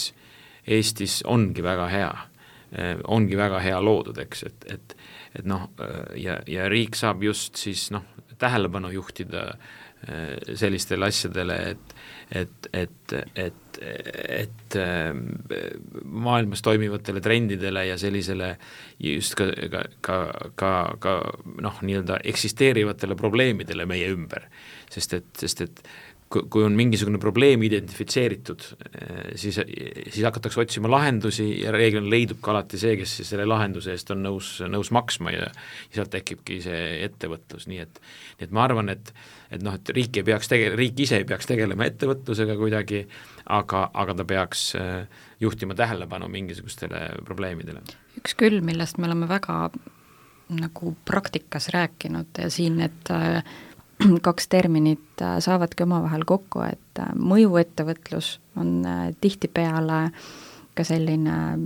[SPEAKER 4] Eestis ongi väga hea, ongi väga hea loodud, eks, et, et, et noh, ja, ja riik saab just siis noh, tähelepanu juhtida sellistele asjadele, et et, et, et, et maailmas toimivatele trendidele ja sellisele just ka, ka, ka, ka, ka noh, nii-öelda eksisteerivatele probleemidele meie ümber, sest et, sest et kui on mingisugune probleem identifitseeritud, siis, siis hakatakse otsima lahendusi ja reeglina leidub ka alati see, kes siis selle lahenduse eest on nõus, nõus maksma ja, ja sealt tekibki see ettevõtlus, nii et, nii et ma arvan, et, et noh, et riik ei peaks tege-, riik ise ei peaks tegelema ettevõtlusega kuidagi, aga, aga ta peaks juhtima tähelepanu mingisugustele probleemidele.
[SPEAKER 5] Üks küll, millest me oleme väga nagu praktikas rääkinud ja siin, et kaks terminit saavadki omavahel kokku, et mõjuettevõtlus on tihtipeale ka selline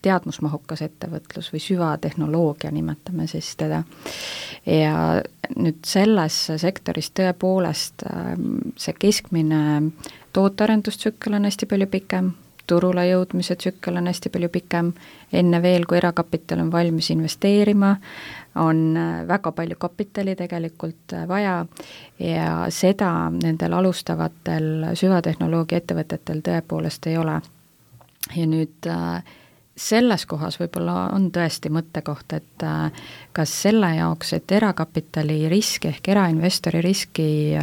[SPEAKER 5] teadmusmahukas ettevõtlus või süvatehnoloogia, nimetame siis teda. Ja nüüd selles sektoris tõepoolest see keskmine tootearendustsükkel on hästi palju pikem, turule jõudmise tsükkel on hästi palju pikem, enne veel, kui erakapital on valmis investeerima, on väga palju kapitali tegelikult vaja ja seda nendel alustavatel süvatehnoloogia ettevõtetel tõepoolest ei ole. Ja nüüd selles kohas võib-olla on tõesti mõttekoht, et kas selle jaoks, et erakapitali riski ehk erainvestori riski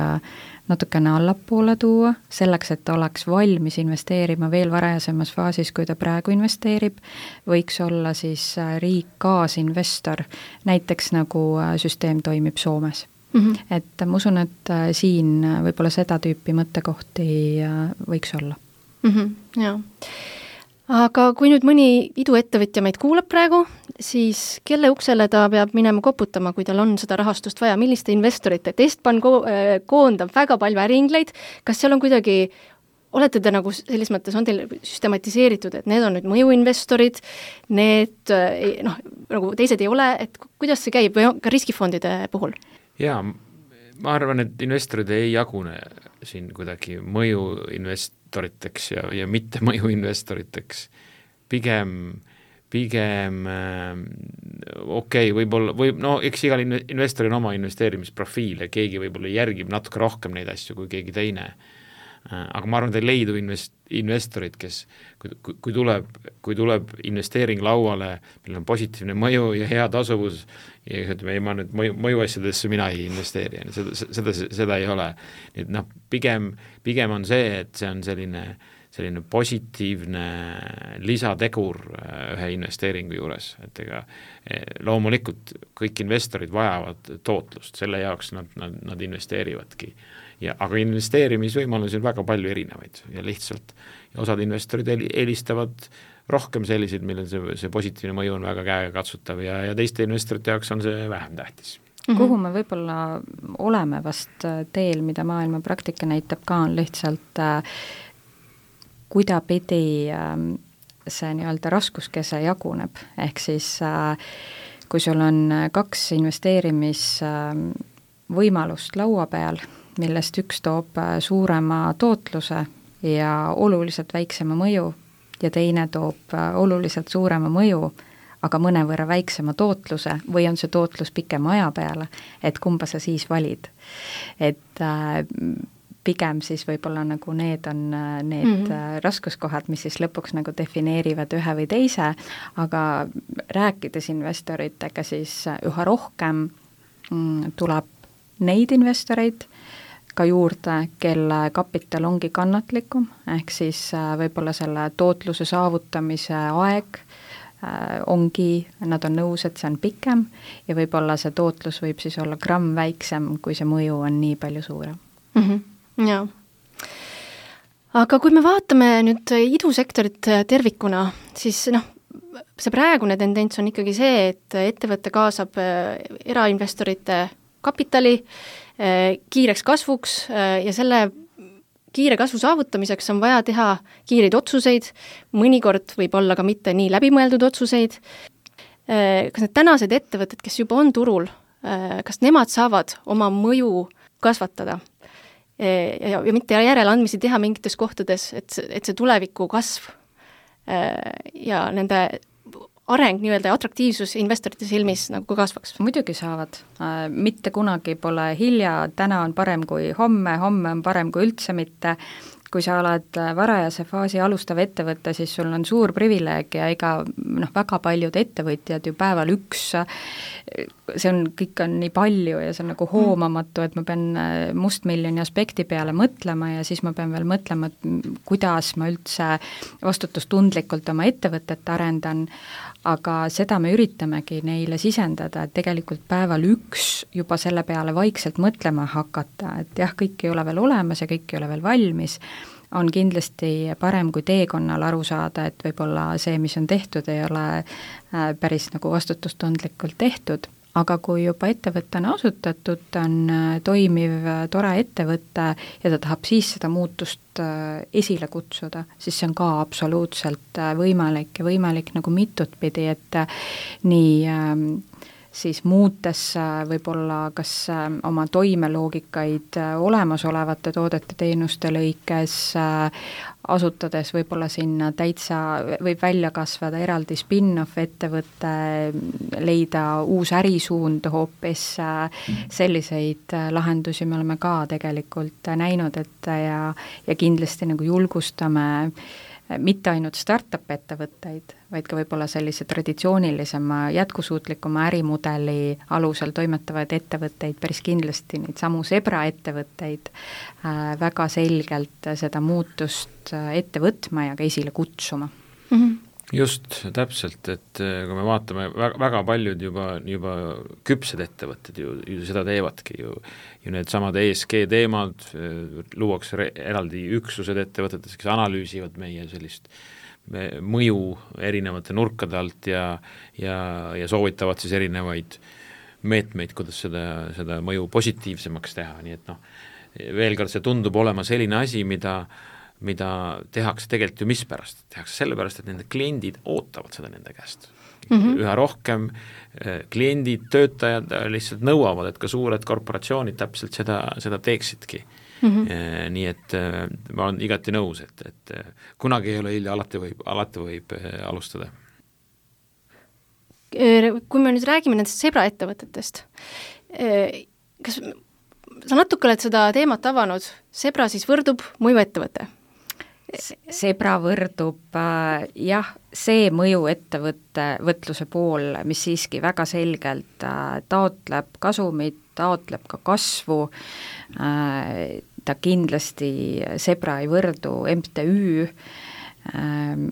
[SPEAKER 5] natukene allapoole tuua, selleks, et ta oleks valmis investeerima veel varajasemas faasis, kui ta praegu investeerib, võiks olla siis riik kaasinvestor, näiteks nagu süsteem toimib Soomes. Mm-hmm. Et ma usun, et siin võib-olla seda tüüpi mõttekohti võiks olla.
[SPEAKER 3] Mm-hmm, jaa. Aga kui nüüd mõni iduettevõtja meid kuulab praegu, siis kelle uksele ta peab minema koputama, kui tal on seda rahastust vaja, milliste investorite? Testpan ko- koondab väga palju äriingleid, kas seal on kuidagi, olete te nagu selles mõttes, on teil süstematiseeritud, et need on nüüd mõjuinvestorid, need noh, nagu teised ei ole, et kuidas see käib või ka riskifondide puhul?
[SPEAKER 4] Jaa, ma arvan, et investorid ei jagune siin kuidagi mõjuinvestoriteks ja, ja mitte mõjuinvestoriteks. Pigem, pigem äh, okei okay,, võib-olla, või no eks igal investoril on oma investeerimisprofiil ja keegi võib-olla järgib natuke rohkem neid asju kui keegi teine. Aga ma arvan, et ei leidu invest, investorid, kes kui, kui, tuleb, kui tuleb investeering lauale, millel on positiivne mõju ja hea tasuvus ja ütleme, ei ma nüüd mõju, mõjuasjadesse mina ei investeeri, seda, seda, seda ei ole. Nii et noh, pigem, pigem on see, et see on selline, selline positiivne lisategur ühe investeeringu juures, et ega loomulikult kõik investorid vajavad tootlust, selle jaoks nad, nad, nad investeerivadki. Ja, aga investeerimisvõimalusi on väga palju erinevaid ja lihtsalt ja osad investorid eelistavad rohkem selliseid, millel see, see positiivne mõju on väga käegakatsutav ja, ja teiste investorite jaoks on see vähem tähtis.
[SPEAKER 5] Mm-hmm. Kuhu me võib-olla oleme vast teel, mida maailma praktika näitab ka, on lihtsalt äh, kuidapidi äh, see nii-öelda raskuskese jaguneb, ehk siis äh, kui sul on kaks investeerimisvõimalust äh, laua peal, millest üks toob suurema tootluse ja oluliselt väiksema mõju ja teine toob oluliselt suurema mõju, aga mõnevõrra väiksema tootluse või on see tootlus pikema aja peale, et kumba sa siis valid. Et äh, pigem siis võib-olla nagu need on need mm-hmm. raskuskohad, mis siis lõpuks nagu defineerivad ühe või teise, aga rääkides investoritega siis üha rohkem mm, tuleb neid investoreid ka juurde, kelle kapital ongi kannatlikum, ehk siis võib-olla selle tootluse saavutamise aeg ongi, nad on nõus, et see on pikem ja võib-olla see tootlus võib siis olla gramm väiksem, kui see mõju on nii palju suurem.
[SPEAKER 3] Mm-hmm. Jaa. Aga kui me vaatame nüüd idusektorit tervikuna, siis noh, see praegune tendents on ikkagi see, et ettevõte kaasab erainvestorite kapitali kiireks kasvuks ja selle kiire kasvu saavutamiseks on vaja teha kiireid otsuseid, mõnikord võib olla ka mitte nii läbimõeldud otsuseid. Kas need tänased ettevõtted, kes juba on turul, kas nemad saavad oma mõju kasvatada ja, ja mitte järeleandmisi teha mingites kohtades, et see, et see tuleviku kasv ja nende areng nii-öelda ja atraktiivsus investorite silmis nagu kasvaks?
[SPEAKER 5] Muidugi saavad. Mitte kunagi pole hilja, täna on parem kui homme, homme on parem kui üldse mitte. Kui sa oled varajase faasi alustav ettevõte, siis sul on suur privileeg ja ega noh, väga paljud ettevõtjad ju päeval üks, see on, kõik on nii palju ja see on nagu hoomamatu, et ma pean mustmiljoni aspekti peale mõtlema ja siis ma pean veel mõtlema, et kuidas ma üldse vastutustundlikult oma ettevõtet arendan, aga seda me üritamegi neile sisendada, et tegelikult päeval üks juba selle peale vaikselt mõtlema hakata, et jah, kõik ei ole veel olemas ja kõik ei ole veel valmis, on kindlasti parem kui teekonnal aru saada, et võib-olla see, mis on tehtud, ei ole päris nagu vastutustundlikult tehtud, aga kui juba ettevõte on asutatud, ta on toimiv, tore ettevõte ja ta tahab siis seda muutust esile kutsuda, siis see on ka absoluutselt võimalik ja võimalik nagu mitut pidi, et nii siis muutes võib-olla kas oma toimeloogikaid olemasolevate toodete teenuste lõikes, asutades võib-olla sinna täitsa, võib välja kasvada eraldi spin-off ettevõtte, leida uus ärisuund hoopis, selliseid lahendusi me oleme ka tegelikult näinud, et ja, ja kindlasti nagu julgustame mitte ainult startup ettevõtteid, vaid ka võib-olla sellise traditsioonilisema jätkusuutlikuma ärimudeli alusel toimetavaid ettevõtteid, päris kindlasti neid samu Zebra ettevõtteid äh, väga selgelt seda muutust ette võtma ja ka esile kutsuma.
[SPEAKER 3] Mm-hmm.
[SPEAKER 4] Just, täpselt, et kui me vaatame, väga, väga paljud juba, juba küpsed ettevõtted ju, ju seda teevadki ju, ju need samad E S G teemad, luuakse re, eraldi üksused ettevõtetes, kes analüüsivad meie sellist mõju erinevate nurkade alt ja, ja, ja soovitavad siis erinevaid meetmeid, kuidas seda, seda mõju positiivsemaks teha, nii et noh, veel kord see tundub olema selline asi, mida mida tehakse tegelikult ju mispärast, tehakse sellepärast, et nende kliendid ootavad seda nende käest. Mm-hmm. Üha rohkem kliendid, töötajad lihtsalt nõuavad, et ka suured korporatsioonid täpselt seda, seda teeksidki. Mm-hmm. Nii et ma olen igati nõus, et, et kunagi ei ole hilja, alati võib, alati võib alustada.
[SPEAKER 3] Kui me nüüd räägime nendest Zebra ettevõtetest, kas sa natuke oled seda teemat avanud, Zebra siis võrdub mõju ettevõte?
[SPEAKER 5] Zebra võrdub äh, jah, see mõju ettevõtte võtluse pool, mis siiski väga selgelt äh, taotleb kasumit, taotleb ka kasvu, äh, ta kindlasti, Zebra ei võrdu M T Ü,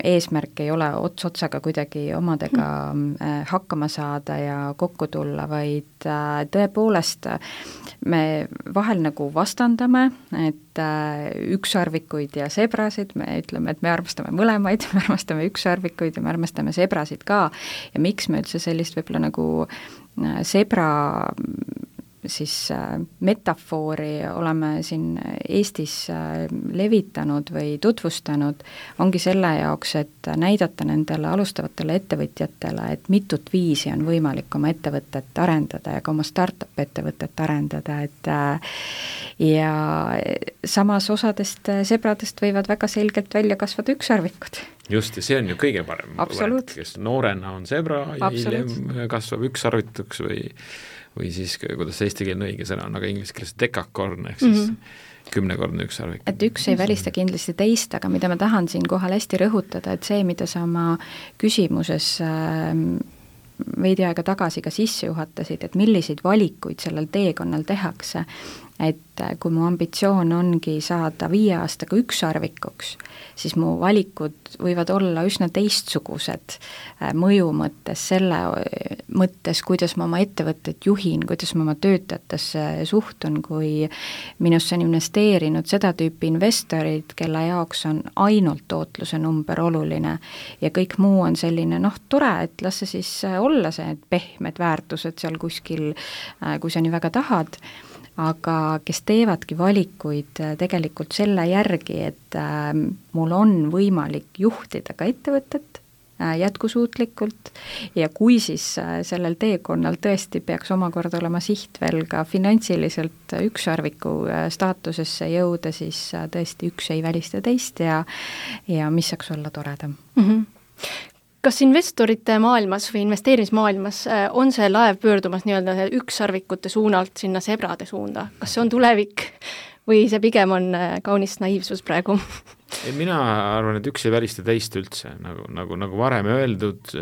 [SPEAKER 5] eesmärk ei ole ots otsaga kuidagi omadega hakkama saada ja kokku tulla, vaid tõepoolest me vahel nagu vastandame, et ükssarvikuid ja Zebrasid, me ütleme, et me armastame mõlemaid, me armastame ükssarvikuid ja me armastame Zebrasid ka ja miks me üldse sellist võib-olla nagu Zebra siis metafoori oleme siin Eestis levitanud või tutvustanud, ongi selle jaoks, et näidata nendele alustavatele ettevõtjatele, et mitut viisi on võimalik oma ettevõtet arendada ja ka oma startup ettevõtet arendada, et ja samas osadest Zebradest võivad väga selgelt välja kasvada ükssarvikud.
[SPEAKER 4] Just, ja see on ju kõige parem.
[SPEAKER 5] Absoluut.
[SPEAKER 4] Kes noorena on Zebra ja
[SPEAKER 5] Absoluut.
[SPEAKER 4] hiljem kasvab ükssarvituks või või siis, kuidas see eestikeelne õige sõna on, aga inglise keeles dekakorn, ehk siis mm-hmm. kümnekordne ükssarvik.
[SPEAKER 5] Et üks ei välista kindlasti teist, aga mida ma tahan siin kohal hästi rõhutada, et see, mida sa oma küsimuses veidi aega tagasi ka sisse juhatasid, et milliseid valikuid sellel teekonnal tehakse, et kui mu ambitsioon ongi saada viie aastaga ükssarvikuks, siis mu valikud võivad olla üsna teistsugused mõju mõttes, selle mõttes, kuidas ma oma ettevõtet juhin, kuidas ma oma töötajatesse suhtun, kui minusse on investeerinud seda tüüpi investorid, kelle jaoks on ainult tootluse number oluline ja kõik muu on selline, noh, tore, et las see siis olla see pehmed väärtused seal kuskil, kui sa nii väga tahad, aga kes teevadki valikuid tegelikult selle järgi, et äh, mul on võimalik juhtida ka ettevõtet äh, jätkusuutlikult ja kui siis äh, sellel teekonnal tõesti peaks omakorda olema siht veel ka finantsiliselt ükssarviku äh, staatusesse jõuda, siis äh, tõesti üks ei välista teist ja, ja mis saaks olla toredam.
[SPEAKER 3] Mm-hmm. kas investorite maailmas või investeerimismaailmas on see laev pöördumas nii-öelda ükssarvikute suunalt sinna sebrade suunda? Kas see on tulevik või see pigem on kaunis naiivsus praegu?
[SPEAKER 4] Mina arvan, et üks ei välista teist üldse, nagu, nagu, nagu varem öeldud,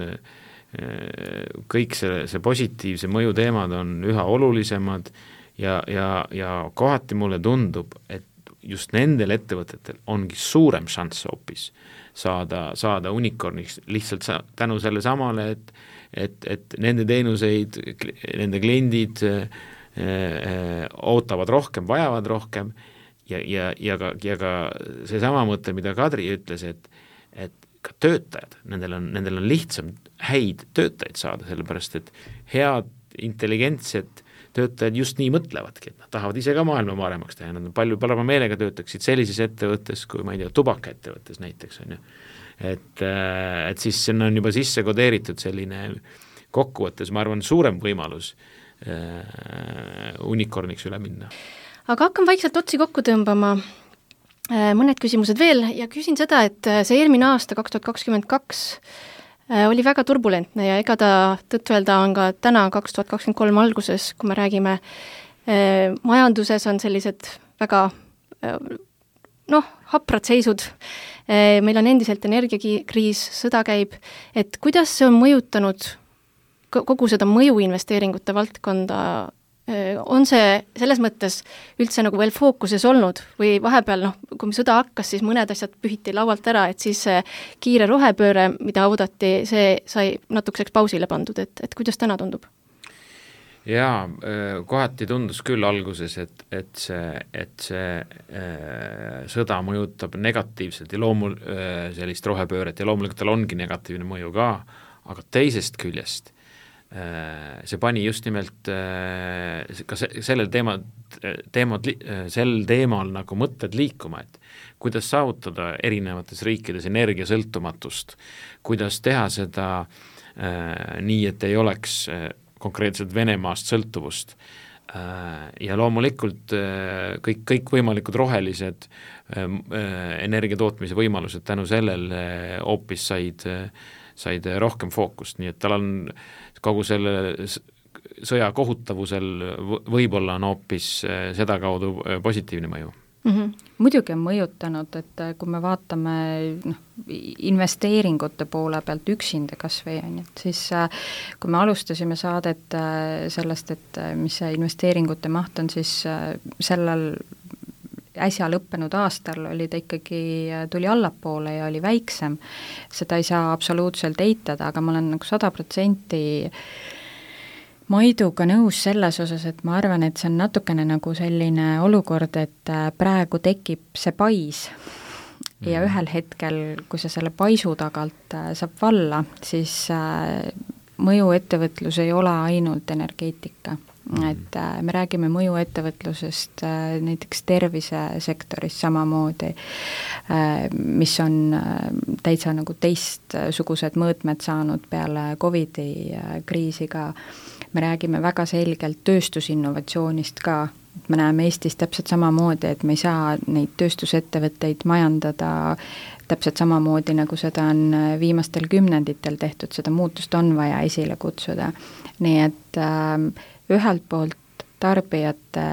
[SPEAKER 4] kõik see, see positiivse mõju teemad on üha olulisemad ja, ja, ja kohati mulle tundub, et just nendel ettevõtetel ongi suurem šanss hoopis saada, saada unicorniks lihtsalt sa, tänu selle samale, et, et, et nende teenuseid, nende kliendid äh, äh, ootavad rohkem, vajavad rohkem ja, ja, ja ka, ja ka seesama mõte, mida Kadri ütles, et, et ka töötajad, nendel on, nendel on lihtsam häid töötajaid saada, sellepärast et head, intelligentsed töötajad just nii mõtlevadki, et nad tahavad ise ka maailma paremaks teha, nad on palju parema meelega töötaksid sellises ettevõttes, kui ma ei tea, tubakaettevõttes näiteks on ju. Et, et siis sinna on juba sisse kodeeritud selline kokkuvõttes, ma arvan, suurem võimalus äh, unicorniks üle minna.
[SPEAKER 3] Aga hakkan vaikselt otsi kokku tõmbama, mõned küsimused veel ja küsin seda, et see eelmine aasta kaks tuhat kakskümmend kaks oli väga turbulentne ja ega ta tõtt öelda on ka täna kaks tuhat kakskümmend kolm alguses, kui me räägime eh, majanduses on sellised väga eh, noh, haprad seisud, eh, meil on endiselt energiakriis, sõda käib, et kuidas see on mõjutanud kogu seda mõjuinvesteeringute valdkonda, eh, on see selles mõttes üldse nagu veel fookuses olnud või vahepeal, noh, kui sõda hakkas, siis mõned asjad pühiti laualt ära, et siis see kiire rohepööre, mida oodati, see sai natukeseks pausile pandud, et, et kuidas täna tundub?
[SPEAKER 4] Jaa, kohati tundus küll alguses, et, et see, et see äh, sõda mõjutab negatiivselt ja loomul äh, sellist rohepööret ja loomulikult tal ongi negatiivne mõju ka, aga teisest küljest see pani just nimelt ka sellel teema, teemad, sel teemal nagu mõtted liikuma, et kuidas saavutada erinevates riikides energiasõltumatust, kuidas teha seda nii, et ei oleks konkreetselt Venemaast sõltuvust ja loomulikult kõik, kõik võimalikud rohelised energiatootmise võimalused tänu sellele hoopis said, said rohkem fookust, nii et tal on kogu selle sõja kohutavusel võib-olla on hoopis seda kaudu positiivne mõju.
[SPEAKER 5] Mm-hmm. Muidugi on mõjutanud, et kui me vaatame noh, investeeringute poole pealt üksinda kas või on, et siis kui me alustasime saadet sellest, et mis see investeeringute maht on, siis sellel äsja lõppenud aastal oli ta ikkagi, tuli allapoole ja oli väiksem. Seda ei saa absoluutselt eitada, aga ma olen nagu sada protsenti Maiduga nõus selles osas, et ma arvan, et see on natukene nagu selline olukord, et praegu tekib see pais ja ühel hetkel, kui see selle paisu tagalt saab valla, siis mõjuettevõtlus ei ole ainult energeetika. Et me räägime mõjuettevõtlusest näiteks tervisesektoris samamoodi, mis on täitsa nagu teistsugused mõõtmed saanud peale Covidi kriisi ka. Me räägime väga selgelt tööstusinnovatsioonist ka, me näeme Eestis täpselt samamoodi, et me ei saa neid tööstusettevõtteid majandada täpselt samamoodi, nagu seda on viimastel kümnenditel tehtud, seda muutust on vaja esile kutsuda. Nii et äh, ühelt poolt tarbijate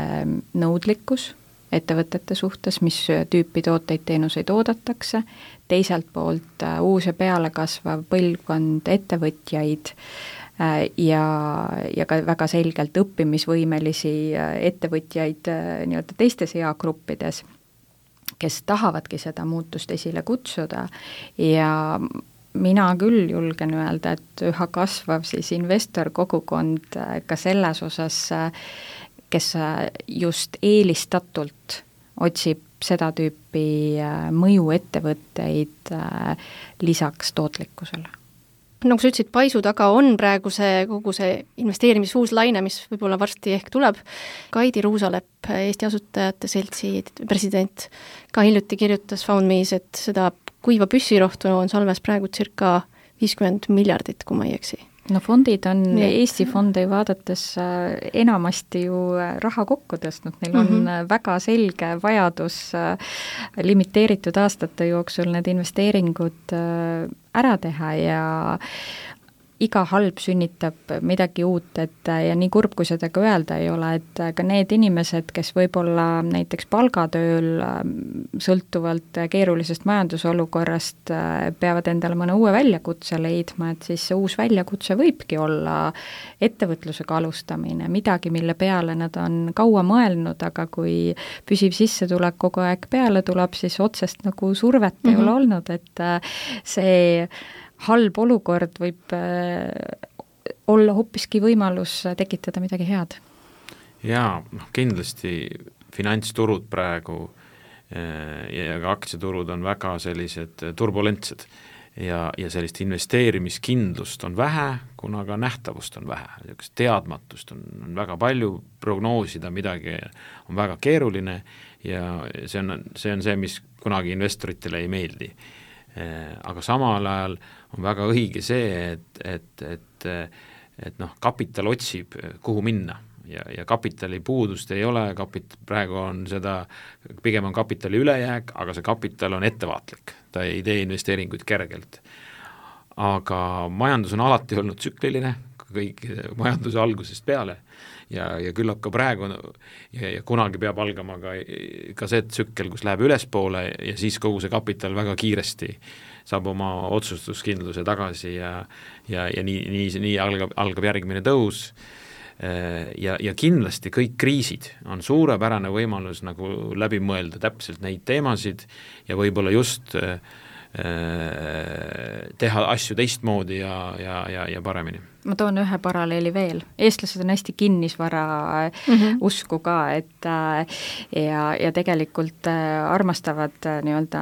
[SPEAKER 5] nõudlikkus ettevõtete suhtes, mis tüüpi tooteid, teenuseid oodatakse, teiselt poolt äh, uus ja peale kasvav põlvkond ettevõtjaid äh, ja, ja ka väga selgelt õppimisvõimelisi äh, ettevõtjaid äh, nii-öelda teistes eagruppides, kes tahavadki seda muutust esile kutsuda ja mina küll julgen öelda, et üha kasvav siis investor kogukond ka selles osas, kes just eelistatult otsib seda tüüpi mõjuettevõtteid lisaks tootlikkusele.
[SPEAKER 3] Nagu sa ütlesid, paisu taga on praegu see kogu see investeerimisfuus laine, mis võib-olla varsti ehk tuleb. Kaidi Ruusalepp, Eesti Asutajate Seltsi president, ka hiljuti kirjutas FoundMe's, et seda kuiva püssirohtu on salves praegu circa viiskümmend miljardit, kui ma ei eksi.
[SPEAKER 5] no fondid on ja. Eesti fonde vaadates enamasti ju raha kokku tõstnud, neil on mm -hmm. väga selge vajadus limiteeritud aastate jooksul need investeeringud ära teha ja iga halb sünnitab midagi uut, et ja nii kurb, kui seda ka öelda ei ole, et ka need inimesed, kes võib-olla näiteks palgatööl sõltuvalt keerulisest majandusolukorrast peavad endale mõne uue väljakutse leidma, et siis see uus väljakutse võibki olla ettevõtlusega alustamine, midagi, mille peale nad on kaua mõelnud, aga kui püsiv sissetulek kogu aeg peale tuleb, siis otsest nagu survet mm-hmm. ei ole olnud, et see halb olukord võib olla hoopiski võimalus tekitada midagi head.
[SPEAKER 4] Jaa, noh kindlasti finantsturud praegu ja ka aktsiaturud on väga sellised turbulentsed ja, ja sellist investeerimiskindlust on vähe, kuna ka nähtavust on vähe, teadmatust on, on väga palju, prognoosida midagi on väga keeruline ja see on see, on see mis kunagi investoritele ei meeldi. Aga samal ajal on väga õige see, et, et, et, et noh, kapital otsib, kuhu minna ja, ja kapitali puudust ei ole, kapit-, praegu on seda, pigem on kapitali ülejääk, aga see kapital on ettevaatlik, ta ei tee investeeringuid kergelt. Aga majandus on alati olnud tsükliline, kõik majanduse algusest peale ja, ja küllap ka praegu ja, ja kunagi peab algama ka, ka see tsükkel, kus läheb ülespoole ja siis kogu see kapital väga kiiresti saab oma otsustuskindluse tagasi ja, ja, ja nii, nii, nii algab, algab järgmine tõus ja, ja kindlasti kõik kriisid on suurepärane võimalus nagu läbi mõelda täpselt neid teemasid ja võib-olla just teha asju teistmoodi ja, ja, ja, ja paremini.
[SPEAKER 5] Ma toon ühe paralleeli veel. Eestlased on hästi kinnisvara mm -hmm. usku ka, et ja, ja tegelikult armastavad nii-öelda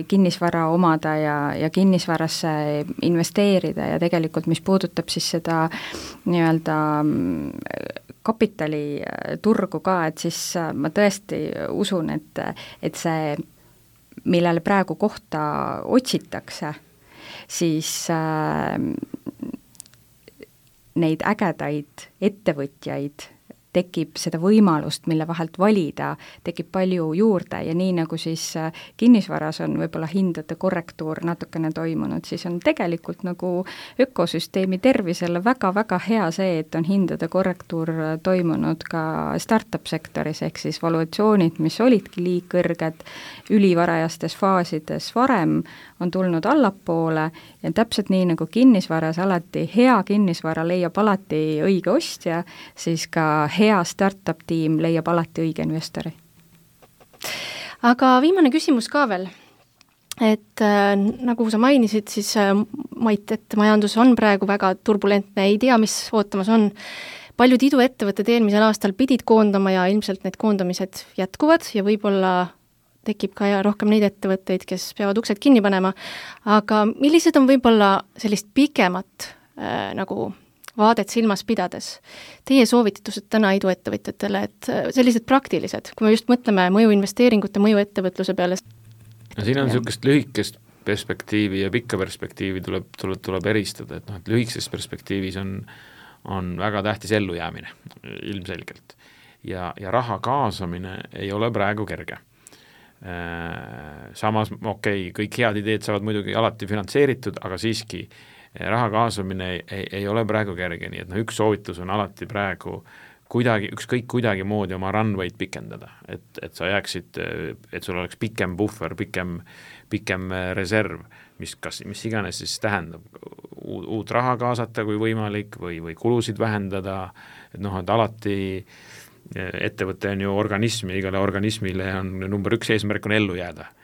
[SPEAKER 5] kinnisvara omada ja, ja kinnisvarasse investeerida ja tegelikult mis puudutab siis seda nii-öelda kapitaliturgu ka, et siis ma tõesti usun, et, et see millele praegu kohta otsitakse, siis äh, neid ägedaid ettevõtjaid tekib seda võimalust, mille vahelt valida, tekib palju juurde ja nii nagu siis kinnisvaras on võib-olla hindade korrektuur natukene toimunud, siis on tegelikult nagu ökosüsteemi tervisele väga-väga hea see, et on hindade korrektuur toimunud ka startup sektoris, ehk siis valuatsioonid, mis olidki liig kõrged ülivarajastes faasides varem, on tulnud allapoole ja täpselt nii nagu kinnisvaras alati hea kinnisvara leiab alati õige ostja, siis ka hea startup tiim leiab alati õige investori.
[SPEAKER 3] Aga viimane küsimus ka veel, et äh, nagu sa mainisid, siis äh, Mait, et majandus on praegu väga turbulentne, ei tea, mis ootamas on. Paljud iduettevõtted eelmisel aastal pidid koondama ja ilmselt need koondamised jätkuvad ja võib-olla tekib ka ja rohkem neid ettevõtteid, kes peavad uksed kinni panema, aga millised on võib-olla sellist pikemat äh, nagu vaadet silmas pidades teie soovitused täna iduettevõtjatele, et sellised praktilised, kui me just mõtleme mõjuinvesteeringute, mõjuettevõtluse peale?
[SPEAKER 4] No siin on niisugust lühikest perspektiivi ja pikka perspektiivi tuleb, tuleb, tuleb eristada, et, no, et lühikeses perspektiivis on, on väga tähtis ellujäämine ilmselgelt ja, ja raha kaasamine ei ole praegu kerge. Samas, okei, okay, kõik head ideed saavad muidugi alati finantseeritud, aga siiski raha kaasamine ei, ei, ei ole praegu kerge, nii et no üks soovitus on alati praegu kuidagi, ükskõik kuidagi moodi oma runway'd pikendada, et, et sa jääksid, et sul oleks pikem puhver, pikem, pikem reserv, mis, kas, mis iganes siis tähendab uut, uut raha kaasata kui võimalik või, või kulusid vähendada, et noh, et alati ettevõte on ju organism ja igale organismile on number üks eesmärk on ellu jääda.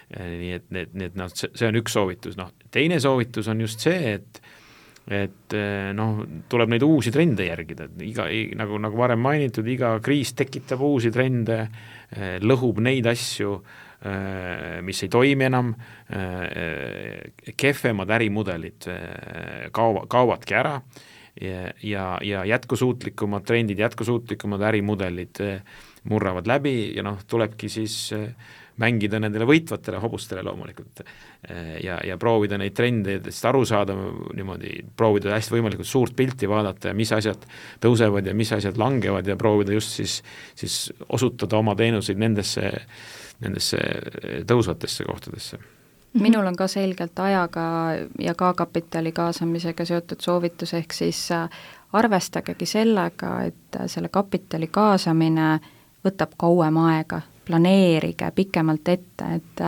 [SPEAKER 4] Nii et, need, need, no, see on üks soovitus. No, teine soovitus on just see, et, et noh, tuleb neid uusi trende järgida. Iga, nagu, nagu varem mainitud, iga kriis tekitab uusi trende, lõhub neid asju, mis ei toimi enam, kehvemad ärimudelid kaovad, kaovadki ära ja, ja, ja jätkusuutlikumad trendid, jätkusuutlikumad ärimudelid murravad läbi ja noh, tulebki siis mängida nendele võitvatele hobustele loomulikult ja, ja proovida neid trendidest aru saada niimoodi, proovida hästi võimalikult suurt pilti vaadata ja mis asjad tõusevad ja mis asjad langevad ja proovida just siis, siis osutada oma teenuseid nendesse, nendesse tõusvatesse kohtadesse.
[SPEAKER 5] Minul on ka selgelt ajaga ja ka kapitali kaasamisega seotud soovitus, ehk siis arvestagegi sellega, et selle kapitali kaasamine võtab kauem aega, planeerige pikemalt ette, et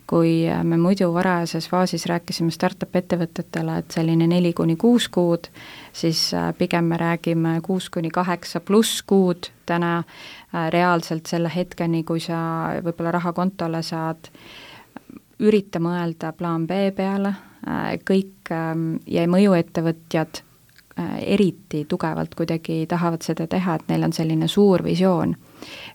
[SPEAKER 5] kui me muidu varajases faasis rääkisime startup ettevõtetele, et selline neli kuni kuus kuud, siis pigem me räägime kuus kuni kaheksa pluss kuud täna reaalselt selle hetkeni, kui sa võib-olla raha kontole saad, ürita mõelda plaan B peale, kõik ja mõjuettevõtjad eriti tugevalt kuidagi tahavad seda teha, et neil on selline suur visioon,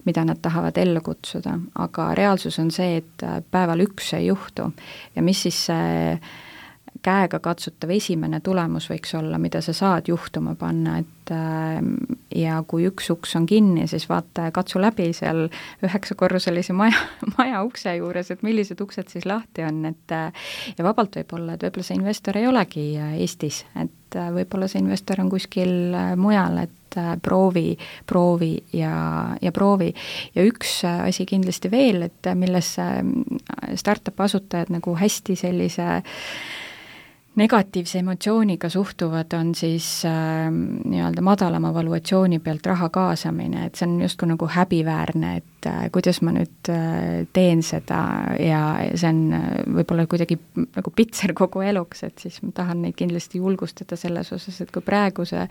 [SPEAKER 5] mida nad tahavad ellu kutsuda, aga reaalsus on see, et päeval üks ei juhtu ja mis siis see käega katsutav esimene tulemus võiks olla, mida sa saad juhtuma panna, et ja kui üks uks on kinni, siis vaata, katsu läbi seal üheksakorruselise maja, maja ukse juures, et millised uksed siis lahti on, et ja vabalt võib olla, et võib-olla see investor ei olegi Eestis, et võib-olla see investor on kuskil mujal, et proovi, proovi ja, ja proovi. Ja üks asi kindlasti veel, et milles startup asutajad nagu hästi sellise negatiivse emotsiooniga suhtuvad, on siis äh, nii-öelda madalama valuatsiooni pealt raha kaasamine, et see on justkui nagu häbiväärne, et äh, kuidas ma nüüd äh, teen seda ja see on äh, võib-olla kuidagi nagu pitser kogu eluks, et siis ma tahan neid kindlasti julgustada selles osas, et kui praeguse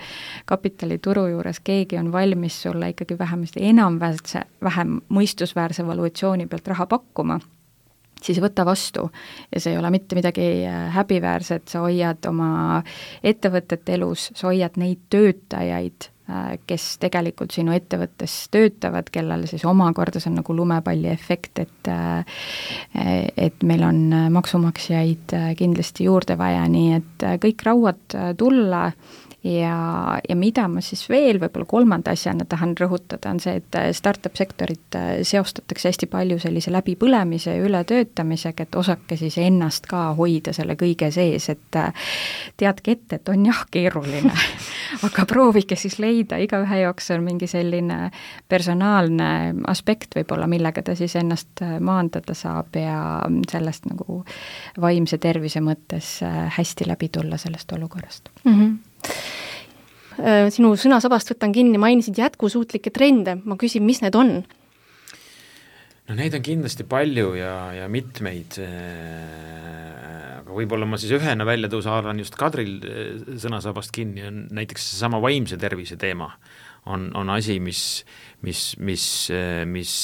[SPEAKER 5] kapitalituru juures keegi on valmis sulle ikkagi vähemasti enam-väärse, vähem mõistusväärse valuatsiooni pealt raha pakkuma, siis võta vastu ja see ei ole mitte midagi häbiväärset, sa hoiad oma ettevõtet elus, sa hoiad neid töötajaid, kes tegelikult sinu ettevõttes töötavad, kellel siis omakorda see on nagu lumepalli efekt, et et meil on maksumaksjaid kindlasti juurde vaja, nii et kõik rauad tulla ja, ja mida ma siis veel võib-olla kolmanda asjana tahan rõhutada, on see, et startup sektorit seostatakse hästi palju sellise läbipõlemise ja ületöötamisega, et osake siis ennast ka hoida selle kõige sees, et teadke ette, et on jah keeruline, aga proovige siis leida, igaühe jaoks on mingi selline personaalne aspekt võib-olla, millega ta siis ennast maandada saab ja sellest nagu vaimse tervise mõttes hästi läbi tulla sellest olukorrast.
[SPEAKER 3] Mhm. Sinu sõnasabast võtan kinni, mainisid jätkusuutlikke trende, ma küsin, mis need on?
[SPEAKER 4] No neid on kindlasti palju ja, ja mitmeid, aga võib-olla ma siis ühena välja tõusa haaran just Kadril sõnasabast kinni, on näiteks sama vaimse tervise teema on, on asi, mis, mis, mis, mis,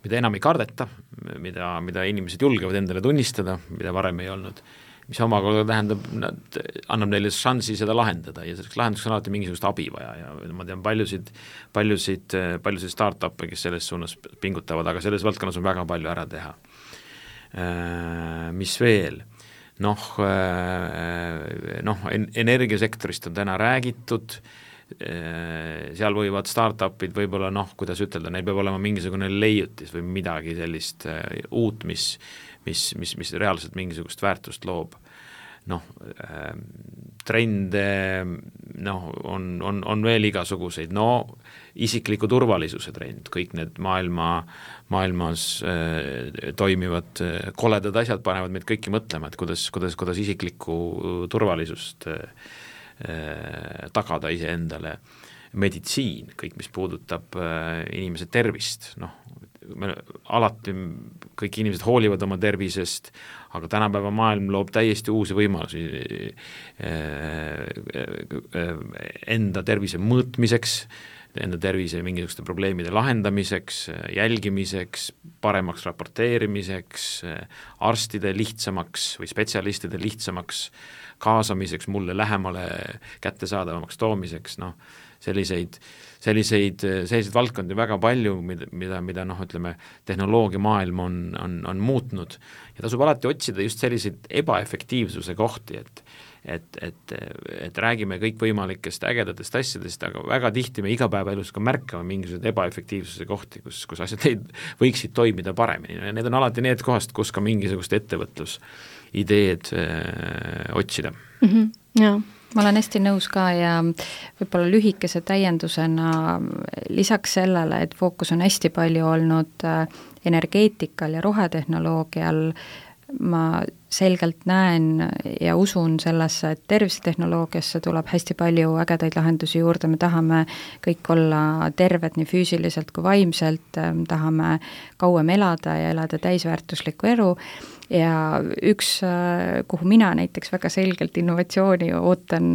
[SPEAKER 4] mida enam ei kardeta, mida, mida inimesed julgevad endale tunnistada, mida varem ei olnud, mis omakorda tähendab, nad annab neile šansi seda lahendada ja selleks lahenduseks on alati mingisugust abi vaja ja ma tean paljusid, paljusid, paljusid start-up'e, kes selles suunas pingutavad, aga selles valdkonnas on väga palju ära teha. Mis veel? Noh, noh, energiasektorist on täna räägitud, seal võivad start-up'id võib-olla noh, kuidas ütelda, neil peab olema mingisugune leiutis või midagi sellist uut, mis mis, mis, mis reaalselt mingisugust väärtust loob. Noh, trende noh, on, on, on veel igasuguseid, no isikliku turvalisuse trend, kõik need maailma, maailmas äh, toimivad äh, koledad asjad panevad meid kõiki mõtlema, et kuidas, kuidas, kuidas isiklikku turvalisust äh, tagada iseendale. Meditsiin, kõik mis puudutab äh, inimese tervist, noh, me alati kõik inimesed hoolivad oma tervisest, aga tänapäeva maailm loob täiesti uusi võimalusi enda tervise mõõtmiseks, enda tervise mingisuguste probleemide lahendamiseks, jälgimiseks, paremaks raporteerimiseks, arstide lihtsamaks või spetsialistide lihtsamaks kaasamiseks, mulle lähemale kättesaadavamaks toomiseks, noh, selliseid, selliseid, selliseid valdkondi väga palju, mida, mida, mida noh, ütleme, tehnoloogia maailm on, on, on muutnud ja tasub alati otsida just selliseid ebaefektiivsuse kohti, et et, et, et räägime kõikvõimalikest ägedatest asjadest, aga väga tihti me igapäevaelus ka märkame mingisuguseid ebaefektiivsuse kohti, kus, kus asjad ei, võiksid toimida paremini ja need on alati need kohast, kus ka mingisugust ettevõtlusideed öö, otsida
[SPEAKER 3] mm. -hmm. Jaa.
[SPEAKER 5] Ma olen hästi nõus ka ja võib-olla lühikese täiendusena lisaks sellele, et fookus on hästi palju olnud energeetikal ja rohetehnoloogial, ma selgelt näen ja usun sellesse, et tervisetehnoloogiasse tuleb hästi palju ägedaid lahendusi juurde, me tahame kõik olla terved nii füüsiliselt kui vaimselt, tahame kauem elada ja elada täisväärtuslikku elu ja üks, kuhu mina näiteks väga selgelt innovatsiooni ootan,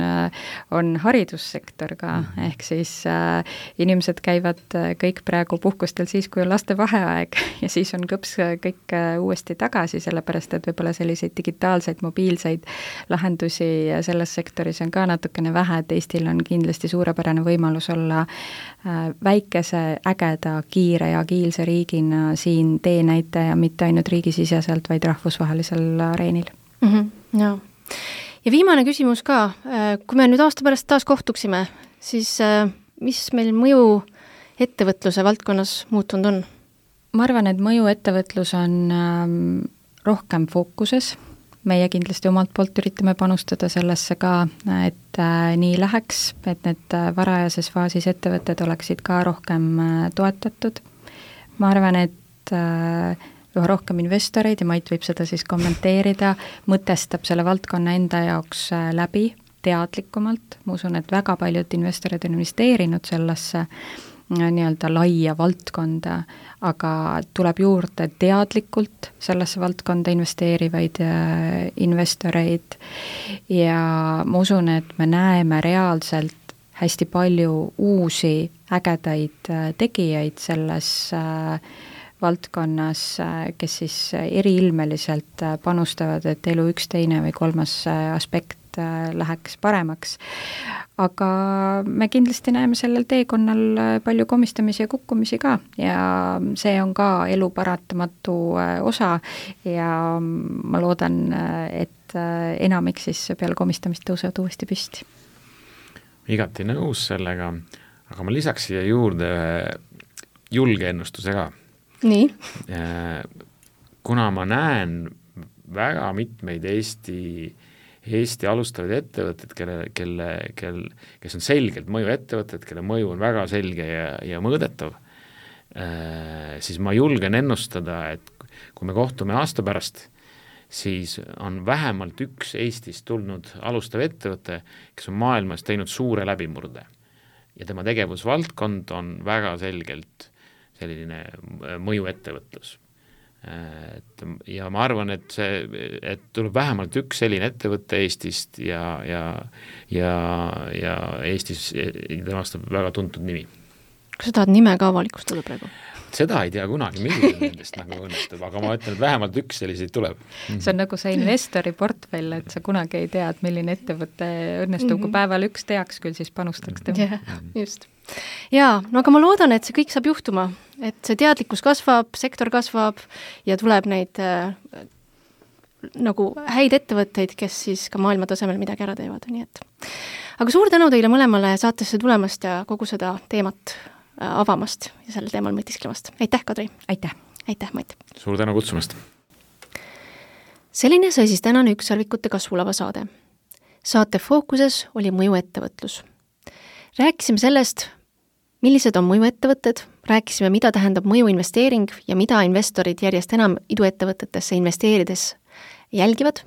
[SPEAKER 5] on haridussektor ka, ehk siis äh, inimesed käivad kõik praegu puhkustel siis, kui on laste vaheaeg ja siis on kõps kõik uuesti tagasi, sellepärast et võib-olla selliseid digitaalseid, mobiilseid lahendusi selles sektoris on ka natukene vähe, et Eestil on kindlasti suurepärane võimalus olla äh, väikese, ägeda, kiire ja agiilse riigina siin teenäitaja, mitte ainult riigisiseselt, vaid rahvusvahelisel areenil.
[SPEAKER 3] Mm -hmm, jaa. Ja viimane küsimus ka, kui me nüüd aasta pärast taas kohtuksime, siis mis meil mõju ettevõtluse valdkonnas muutunud on?
[SPEAKER 5] Ma arvan, et mõju ettevõtlus on rohkem fookuses, meie kindlasti omalt poolt üritame panustada sellesse ka, et nii läheks, et need varajases faasis ettevõtted oleksid ka rohkem toetatud. Ma arvan, et üha rohkem investoreid ja Mait võib seda siis kommenteerida, mõtestab selle valdkonna enda jaoks läbi teadlikumalt. Ma usun, et väga paljud investorid on investeerinud sellesse nii-öelda laia valdkonda, aga tuleb juurde teadlikult sellesse valdkonda investeerivaid investoreid ja ma usun, et me näeme reaalselt hästi palju uusi ägedaid tegijaid selles valdkonnas, kes siis eriilmeliselt panustavad, et elu üks, teine või kolmas aspekt läheks paremaks. Aga me kindlasti näeme sellel teekonnal palju komistamisi ja kukkumisi ka ja see on ka elu paratamatu osa ja ma loodan, et enamik siis peale komistamist tõusevad uuesti püsti.
[SPEAKER 4] Igati nõus sellega, aga ma lisaks siia juurde julge ennustuse ka.
[SPEAKER 3] Nii?
[SPEAKER 4] Kuna ma näen väga mitmeid Eesti Eesti alustavaid ettevõtted, kelle, kelle, kel, kes on selgelt mõju ettevõtted, kelle mõju on väga selge ja, ja mõõdetav, siis ma julgen ennustada, et kui me kohtume aasta pärast, siis on vähemalt üks Eestist tulnud alustav ettevõte, kes on maailmas teinud suure läbimurde. Ja tema tegevusvaldkond on väga selgelt selline mõju ettevõtlus. Et, ja ma arvan, et see, et tuleb vähemalt üks selline ettevõte Eestist ja, ja, ja, ja Eestis temast on väga tuntud nimi.
[SPEAKER 3] Kas sa tahad nime ka avalikustada praegu?
[SPEAKER 4] Seda ei tea kunagi, milline nendest nagu õnnestub, aga ma ütlen, et vähemalt üks selliseid tuleb.
[SPEAKER 5] See on nagu see investori portfell, et sa kunagi ei tea, et milline ettevõte õnnestub, mm-hmm. kui päeval üks teaks küll, siis panustaks tema.
[SPEAKER 3] Yeah, just. Jaa, no aga ma loodan, et see kõik saab juhtuma, et see teadlikkus kasvab, sektor kasvab ja tuleb neid äh, nagu häid ettevõtteid, kes siis ka maailma tasemel midagi ära teevad, nii et. Aga suur tänu teile mõlemale saatesse tulemast ja kogu seda teemat äh, avamast ja sellel teemal mõtisklemast. Aitäh, Kadri!
[SPEAKER 5] Aitäh!
[SPEAKER 3] Aitäh, Mait!
[SPEAKER 4] Suur tänu kutsumast!
[SPEAKER 3] Selline sai siis tänane Ükssarvikute kasvulava saade. Saate fookuses oli mõju ettevõtlus. Rääkisime sellest, millised on mõjuettevõtted, rääkisime, mida tähendab mõjuinvesteering ja mida investorid järjest enam iduettevõtetesse investeerides jälgivad.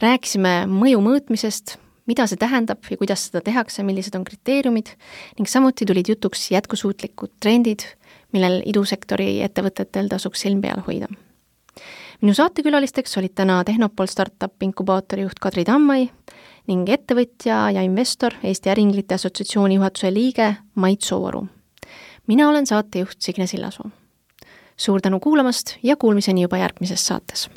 [SPEAKER 3] Rääkisime mõju mõõtmisest, mida see tähendab ja kuidas seda tehakse, millised on kriteeriumid ning samuti tulid jutuks jätkusuutlikud trendid, millel idusektori ettevõtetel tasuks silm peal hoida. Minu saatekülalisteks olid täna Tehnopol Startup inkubaatori juht Kadri Tammai ning ettevõtja ja investor Eesti Äriinglite Assotsiatsiooni juhatuse liige Mait Sooaru. Mina olen saatejuht Signe Sillasoo. Suur tänu kuulamast ja kuulmiseni juba järgmises saates.